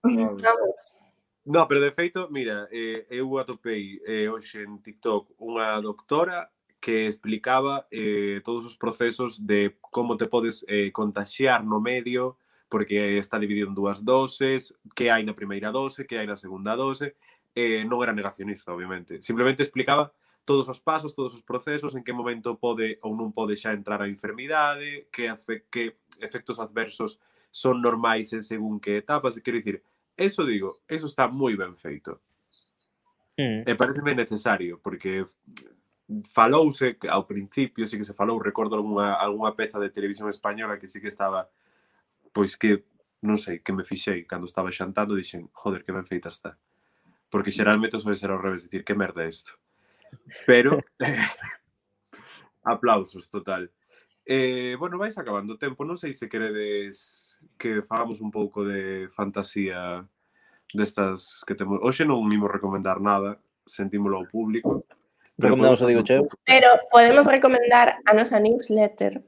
mellor. Vamos. No, pero de feito, mira, eh, eu atopei eh, hoxe en TikTok unha doctora que explicaba eh, todos os procesos de como te podes eh, contaxiar no medio, porque está dividido en dúas doses, que hai na primeira dose, que hai na segunda dose. Eh, non era negacionista, obviamente. Simplemente explicaba todos os pasos, todos os procesos, en que momento pode ou non pode xa entrar a enfermidade, que, hace, que efectos adversos son normais en según que etapas. Quero dicir, eso digo, eso está moi ben feito. Mm. E pareceme necesario, porque falouse, ao principio sí que se falou, recordo alguna, alguna peza de televisión española que sí que estaba, pois que, non sei, que me fixei cando estaba xantando, dixen, joder, que ben feita está. Porque xeralmente soe ser ao revés, dicir, que merda é isto. Pero, eh, aplausos, total. Eh, bueno, vais acabando o tempo, non sei se queredes que fagamos un pouco de fantasía destas que temos. Hoxe non imos recomendar nada, sentímolo ao público. Recomendamos o Digo Cheu. Pero podemos recomendar a nosa newsletter.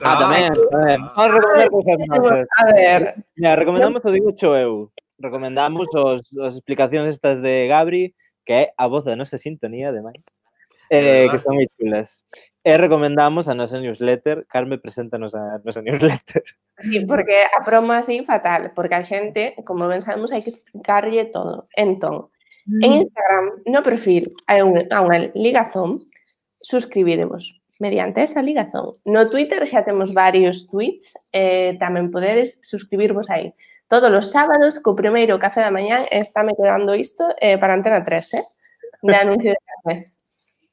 Ah, tamén, tamén. Vamos a recomendar cousas nosas. A ver, Mira, recomendamos o Digo Cho eu. Recomendamos os, as explicacións estas de Gabri, que é a voz da nosa sintonía, ademais. Eh, que son moi chulas. E recomendamos a nosa newsletter. Carme, preséntanos a nosa newsletter. sí, porque a promo así fatal, porque a xente, como ben sabemos, hai que explicarlle todo. Entón, en Instagram, no perfil, hai un, unha ligazón, suscribidevos mediante esa ligazón. No Twitter xa temos varios tweets, eh, tamén podedes suscribirvos aí. Todos os sábados, co primeiro café da mañán, está me quedando isto eh, para Antena tres, eh? De anuncio de café.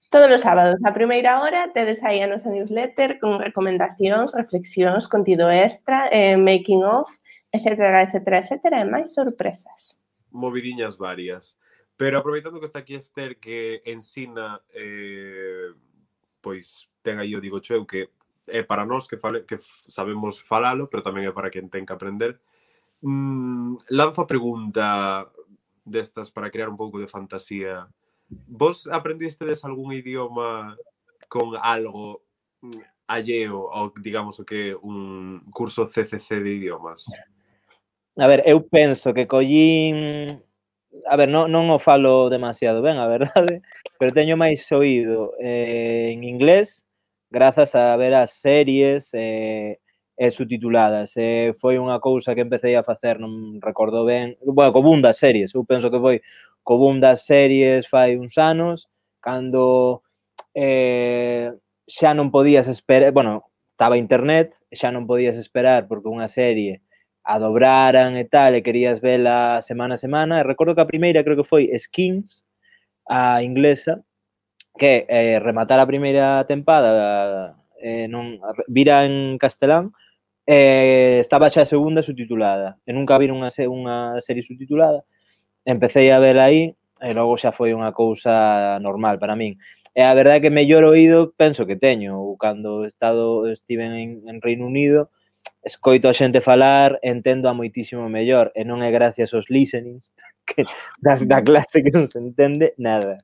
Todos os sábados, a primeira hora, tedes aí a nosa newsletter con recomendacións, reflexións, contido extra, eh, making of, etcétera, etcétera, etcétera, e máis sorpresas. Movidiñas varias. Pero aproveitando que está aquí Esther, que ensina, eh, pois, ten aí o Digo Cheu, que é para nós que, fale, que sabemos falalo, pero tamén é para quen ten que aprender. Mm, lanzo a pregunta destas para crear un pouco de fantasía. Vos aprendistedes algún idioma con algo alleo ao, digamos, o que un curso C C C de idiomas? A ver, eu penso que collín... A ver, non, non o falo demasiado ben, a verdade, pero teño máis oído eh, en inglés grazas a ver as series e, e subtituladas. E foi unha cousa que empecé a facer, non recordo ben, bueno, co boom das series, eu penso que foi co boom das series fai uns anos, cando eh, xa non podías esperar, bueno, estaba internet, xa non podías esperar porque unha serie a dobraran e tal, e querías vela semana a semana. E recordo que a primeira creo que foi Skins, a inglesa, que eh, rematar a primeira tempada eh, non, vira en castelán, eh, estaba xa a segunda subtitulada. E nunca vira unha, unha serie subtitulada. Empecé a vela aí, e logo xa foi unha cousa normal para min. E a verdade é que mellor oído penso que teño. Cando estado estiven en, en Reino Unido, escoito a xente falar, entendo a moitísimo mellor, e non é gracias aos listenings que das da clase que non se entende nada.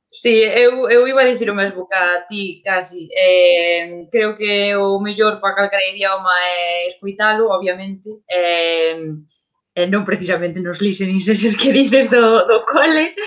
Sí, eu, eu iba a dicir o mesmo que a ti, casi. Eh, creo que o mellor para calquera idioma é escoitalo, obviamente, eh, e non precisamente nos listenings eses que dices do, do cole,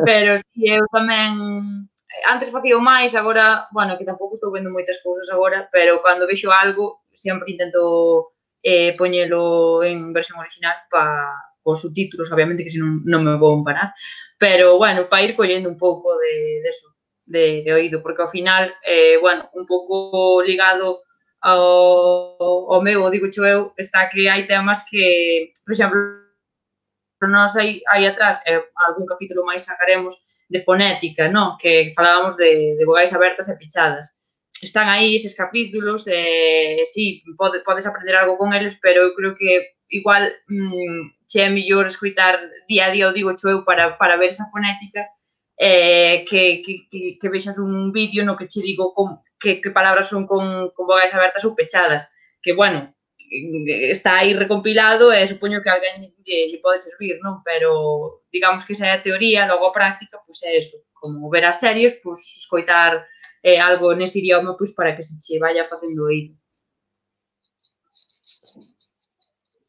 pero si sí, eu tamén... Antes facía o máis, agora, bueno, que tampouco estou vendo moitas cousas agora, pero cando vexo algo, sempre intento eh, poñelo en versión original para os subtítulos, obviamente, que senón non me vou parar. Pero, bueno, para ir collendo un pouco de, de eso, de, de oído, porque ao final, eh, bueno, un pouco ligado ao, ao meu, digo xo eu, está que hai temas que, por exemplo, nós aí, aí atrás, eh, algún capítulo máis sacaremos, de fonética, ¿no? Que falábamos de, de vogais abertas e pechadas. Están aí eses capítulos, e eh, sí, pode, podes aprender algo con eles, pero eu creo que igual mmm, che é mellor escoitar día a día o digo xo eu para, para ver esa fonética eh, que, que, que, que vexas un vídeo no que che digo con, que, que palabras son con, con vogais abertas ou pechadas. Que, bueno, está aí recompilado e supoño que a alguén lle, lle pode servir, non? Pero digamos que esa é a teoría, logo a práctica, pois é eso, como ver as series, pois escoitar eh, algo nese idioma pois para que se che vaya facendo oído.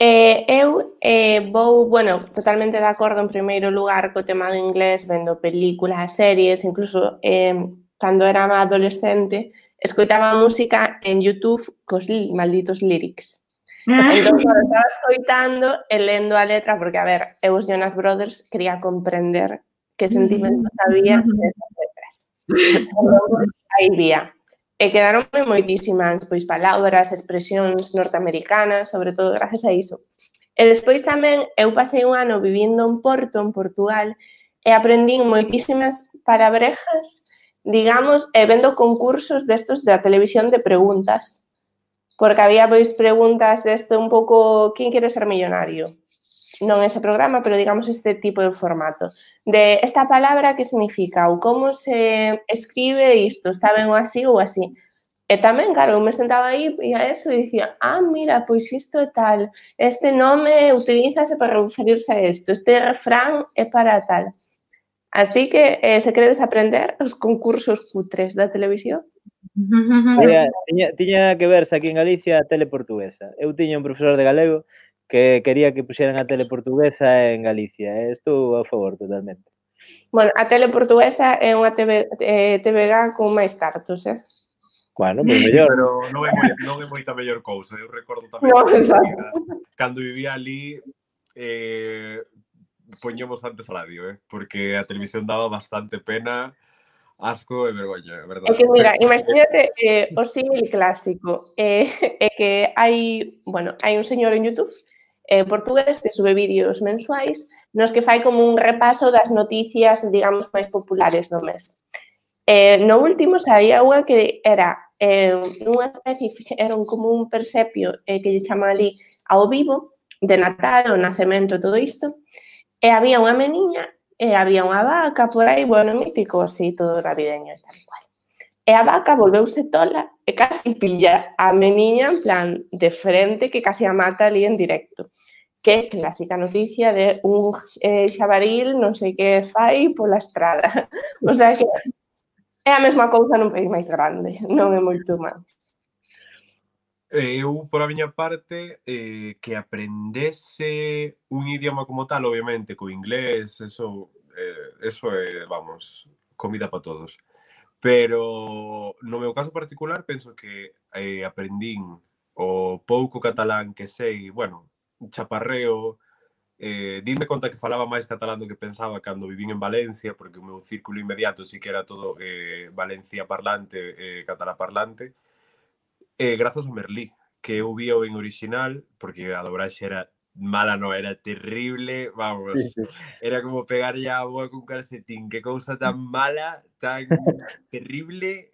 Eh, eu eh, vou, bueno, totalmente de acordo en primeiro lugar co tema do inglés, vendo películas, series, incluso eh, cando era adolescente, escoitaba música en YouTube cos li, malditos lyrics. Entón, cando estaba escoitando e lendo a letra, porque, a ver, eu os Jonas Brothers quería comprender que sentimentos había nesas letras. Entón, aí vía. E quedaronme moitísimas pois, palabras, expresións norteamericanas, sobre todo gracias a iso. E despois tamén eu pasei un ano vivindo en Porto, en Portugal, e aprendín moitísimas palabrejas, digamos, e vendo concursos destos da televisión de preguntas. Porque había pois preguntas deste un pouco quen quere ser millonario. Non ese programa, pero digamos este tipo de formato. De esta palabra que significa ou como se escribe isto, está ben ou así ou así. E tamén, claro, eu me sentaba aí e a eso e dicía, ah, mira, pois isto é tal, este nome utilízase para referirse a isto, este refrán é para tal. Así que, eh, se queredes aprender os concursos cutres da televisión, Había, tiña, tiña que verse aquí en Galicia a tele portuguesa. Eu tiña un profesor de galego que quería que puxeran a tele portuguesa en Galicia. E estou a favor totalmente. bueno, a tele portuguesa é unha T V, eh, T V G con máis cartos, eh? Bueno, pois mellor. Pero non é, moi, non é moita mellor cousa. Eu recordo tamén No, cando, exacto. vivía, cando vivía ali eh, poñemos antes a radio, eh, porque a televisión daba bastante pena, asco e vergoña, é verdade. É que, mira, imagínate eh, o símil clásico. É eh, eh, que hai, bueno, hai un señor en YouTube eh, portugués que sube vídeos mensuais nos que fai como un repaso das noticias, digamos, máis populares do mes. Eh, no último saía unha que era eh, unha especie, era un, como un persepio eh, que lle chama ali ao vivo, de Natal, o nacemento, todo isto, e había unha meniña e había unha vaca por aí, bueno, mítico, así, todo navideño e tal cual. E a vaca volveuse tola e casi pilla a meniña en plan de frente que casi a mata ali en directo. Que clásica noticia de un eh, xabaril non sei que fai pola estrada. O sea que é a mesma cousa nun país máis grande, non é moito máis. Eu, por a miña parte, eh, que aprendese un idioma como tal, obviamente, co inglés, eso, eh, eso é, vamos, comida para todos. Pero, no meu caso particular, penso que eh, aprendín o pouco catalán que sei, bueno, chaparreo, eh, dime conta que falaba máis catalán do que pensaba cando vivín en Valencia, porque o meu círculo inmediato sí que era todo eh, Valencia parlante, eh, catalá parlante, Eh, grazas a Merlí, que eu vía en original, porque a dobraxe era mala, non, era terrible, vamos, Sí, sí. era como pegar ya a boa cun calcetín, que cousa tan mala, tan terrible,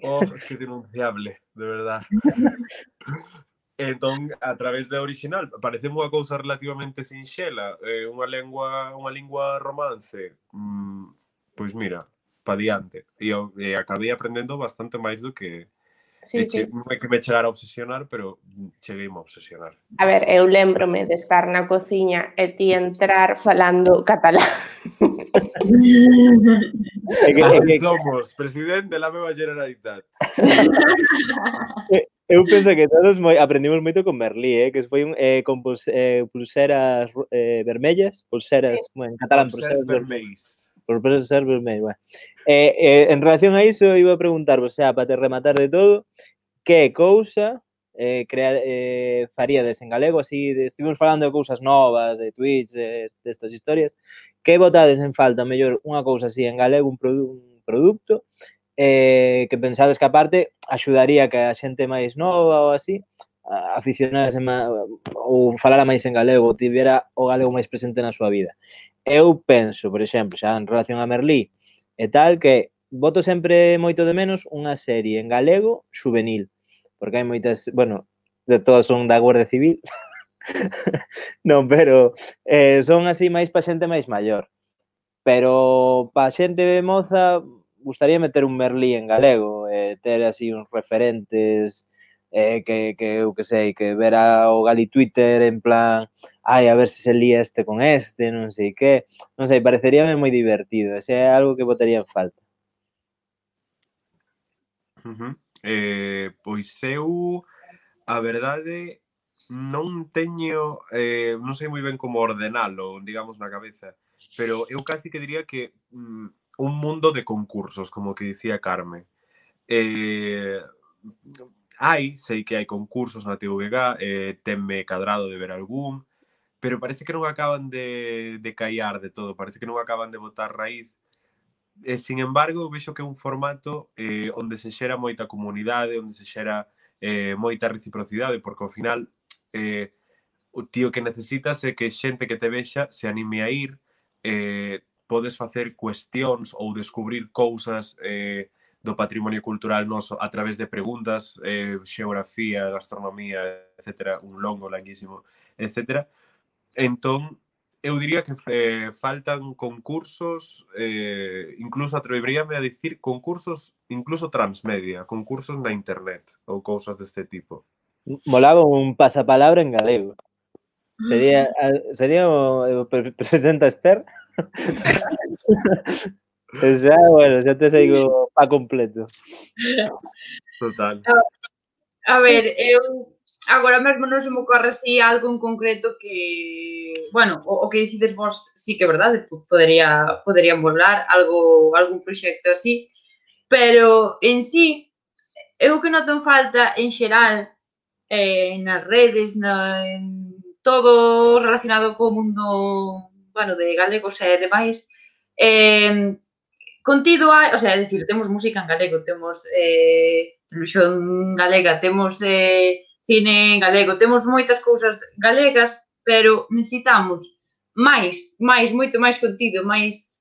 oh, que denunciable, de verdad. Entón, a través da original, parece unha cousa relativamente sinxela, eh, unha lengua, unha lingua romance, mm, pois mira, pa diante. E, e acabei aprendendo bastante máis do que Sí, E che, sí. non é que me chegara a obsesionar, pero cheguei a obsesionar. A ver, eu lembrome de estar na cociña e ti entrar falando catalán. É que, é Así que, somos, presidente da meva Generalitat. eu penso que todos moi, aprendimos moito con Merlí, eh, que foi un, eh, con pulse, eh, pulseras eh, vermellas, pulseras, sí. Bueno, en catalán, pulseras vermellas. Por ser vermello, bueno. Eh, eh, en relación a iso, iba a preguntar, o sea, para te rematar de todo, que cousa eh, crea, eh, faríades en galego, así, de, estivemos falando de cousas novas, de Twitch, de, de estas historias, que botades en falta, mellor, unha cousa así en galego, un, produ un produto, eh, que pensades que aparte axudaría que a xente máis nova ou así, aficionarase ou falara máis en galego, ou tivera o galego máis presente na súa vida. Eu penso, por exemplo, xa en relación a Merlí e tal, que voto sempre moito de menos unha serie en galego juvenil, porque hai moitas, bueno, de todas son da Guardia Civil, non, pero eh, son así máis pa xente máis maior. Pero pa xente moza, gustaría meter un Merlí en galego, eh, ter así uns referentes eh, que, que eu que sei, que ver a, o Gali Twitter en plan, ai, a ver se se lía este con este, non sei que, non sei, pareceríame moi divertido, ese é algo que botaría en falta. Uh-huh. Eh, pois eu, a verdade, non teño, eh, non sei moi ben como ordenalo, digamos, na cabeza, pero eu casi que diría que mm, un mundo de concursos, como que dicía Carme. Eh, hai, sei que hai concursos na T V G, eh, tenme cadrado de ver algún, pero parece que non acaban de, de caiar de todo, parece que non acaban de botar raíz. E, sin embargo, vexo que é un formato eh, onde se xera moita comunidade, onde se xera eh, moita reciprocidade, porque ao final eh, o tío que necesitas é que xente que te vexa se anime a ir, eh, podes facer cuestións ou descubrir cousas eh, do patrimonio cultural noso a través de preguntas, eh, xeografía, gastronomía, etcétera, un longo, larguísimo, etcétera. Entón, eu diría que eh, faltan concursos, eh, incluso atreveríame a dicir concursos incluso transmedia, concursos na internet ou cousas deste tipo. Molaba un pasapalabra en galego. Sería, sería o, o presenta Esther. Xa, bueno, xa te seigo pa completo. Total. A ver, eu agora mesmo non se me ocorre así algo en concreto que, bueno, o, o que decides vos sí que é verdade, podería, poderían volar algo, algún proxecto así, pero en sí, eu que noto en falta en xeral eh, nas redes, na, en todo relacionado co mundo, bueno, de galegos e demais, eh, contido hai, o sea, é dicir, temos música en galego, temos eh, televisión galega, temos eh, cine en galego, temos moitas cousas galegas, pero necesitamos máis, máis, moito máis contido, máis,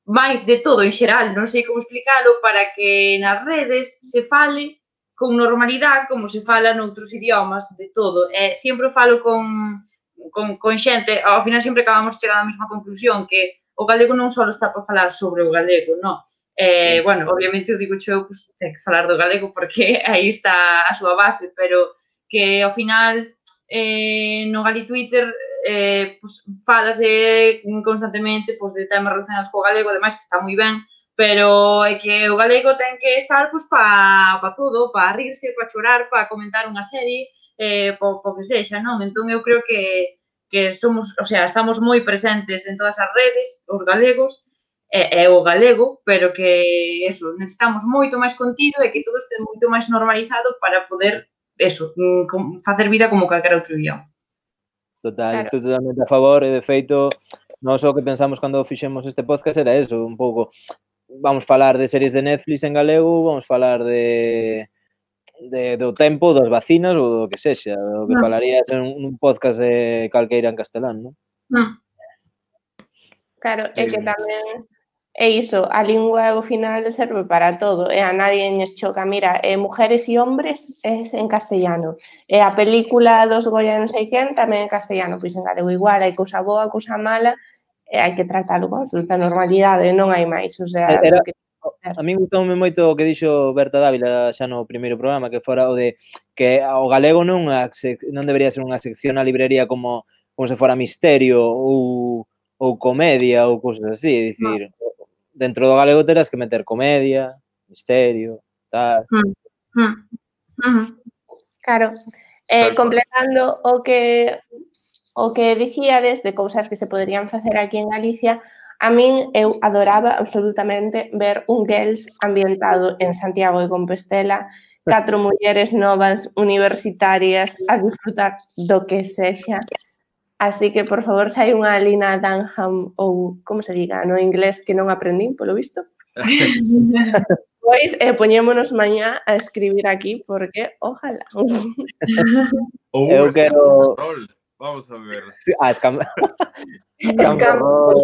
máis de todo en xeral, non sei como explicalo, para que nas redes se fale con normalidade, como se fala noutros idiomas, de todo. E sempre falo con, con, con xente, ao final sempre acabamos chegando á mesma conclusión, que o galego non só está para falar sobre o galego, non. Eh, bueno, obviamente eu digo xo, pues, ten que falar do galego porque aí está a súa base, pero que ao final eh, no Gali Twitter eh, pues, falase constantemente pues, de temas relacionados co galego, ademais que está moi ben, pero é que o galego ten que estar pues, para pa todo, para rirse, para chorar, para comentar unha serie, eh, po, po que sexa, non? Entón eu creo que que somos, o sea, estamos moi presentes en todas as redes, os galegos, é, é o galego, pero que eso, necesitamos moito máis contido e que todo este moito máis normalizado para poder, eso, facer vida como calquera outro idioma. Total, claro. Estou totalmente a favor e, de feito, nós o que pensamos cando fixemos este podcast era eso, un pouco, vamos falar de series de Netflix en galego, vamos falar de... De, do tempo, das vacinas ou do que sexa, o que no. falarías en un podcast de calqueira en castelán, non? No. Claro, é que tamén é iso, a lingua ao final serve para todo, e a nadie nos choca, mira, eh, mujeres e hombres é en castellano, e a película dos Goya non sei quen tamén en castellano, pois en galego igual, hai cousa boa, cousa mala, e hai que tratalo con absoluta normalidade, non hai máis, o sea... Era... que... A mí gustoume moito o que dixo Berta Dávila xa no primeiro programa, que fora o de que o galego non, non debería ser unha sección na librería como, como se fora misterio ou, ou comedia ou cousas así, é dicir, no. Dentro do galego terás que meter comedia, misterio, tal. Mm. Mm. Mm. Claro, eh, completando o que o que dicíades de cousas que se poderían facer aquí en Galicia, a min eu adoraba absolutamente ver un Girls ambientado en Santiago de Compostela, catro mulleres novas universitarias a disfrutar do que sexa. Así que, por favor, se hai unha Lina Dunham ou, como se diga, no inglés que non aprendín, polo visto, pois eh, poñémonos mañá a escribir aquí, porque, ojalá. Ou eu quero... Vamos a ver. Ah, escam... Escampo.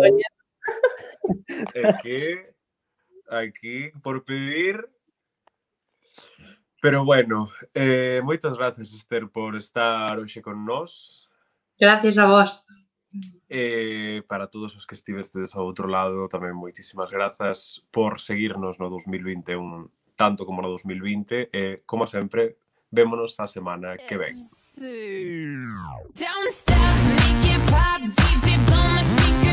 É que aquí por pedir, pero bueno, eh, moitas gracias, Esther, por estar hoxe con nós. Gracias a vos. Eh, para todos os que estivestes ao outro lado, tamén moitísimas grazas por seguirnos no dos mil vinte e un, tanto como no dos mil vinte, e, eh, como sempre, Vémonos a semana que ven. Don't stop, make it pop, D J blow my speaker.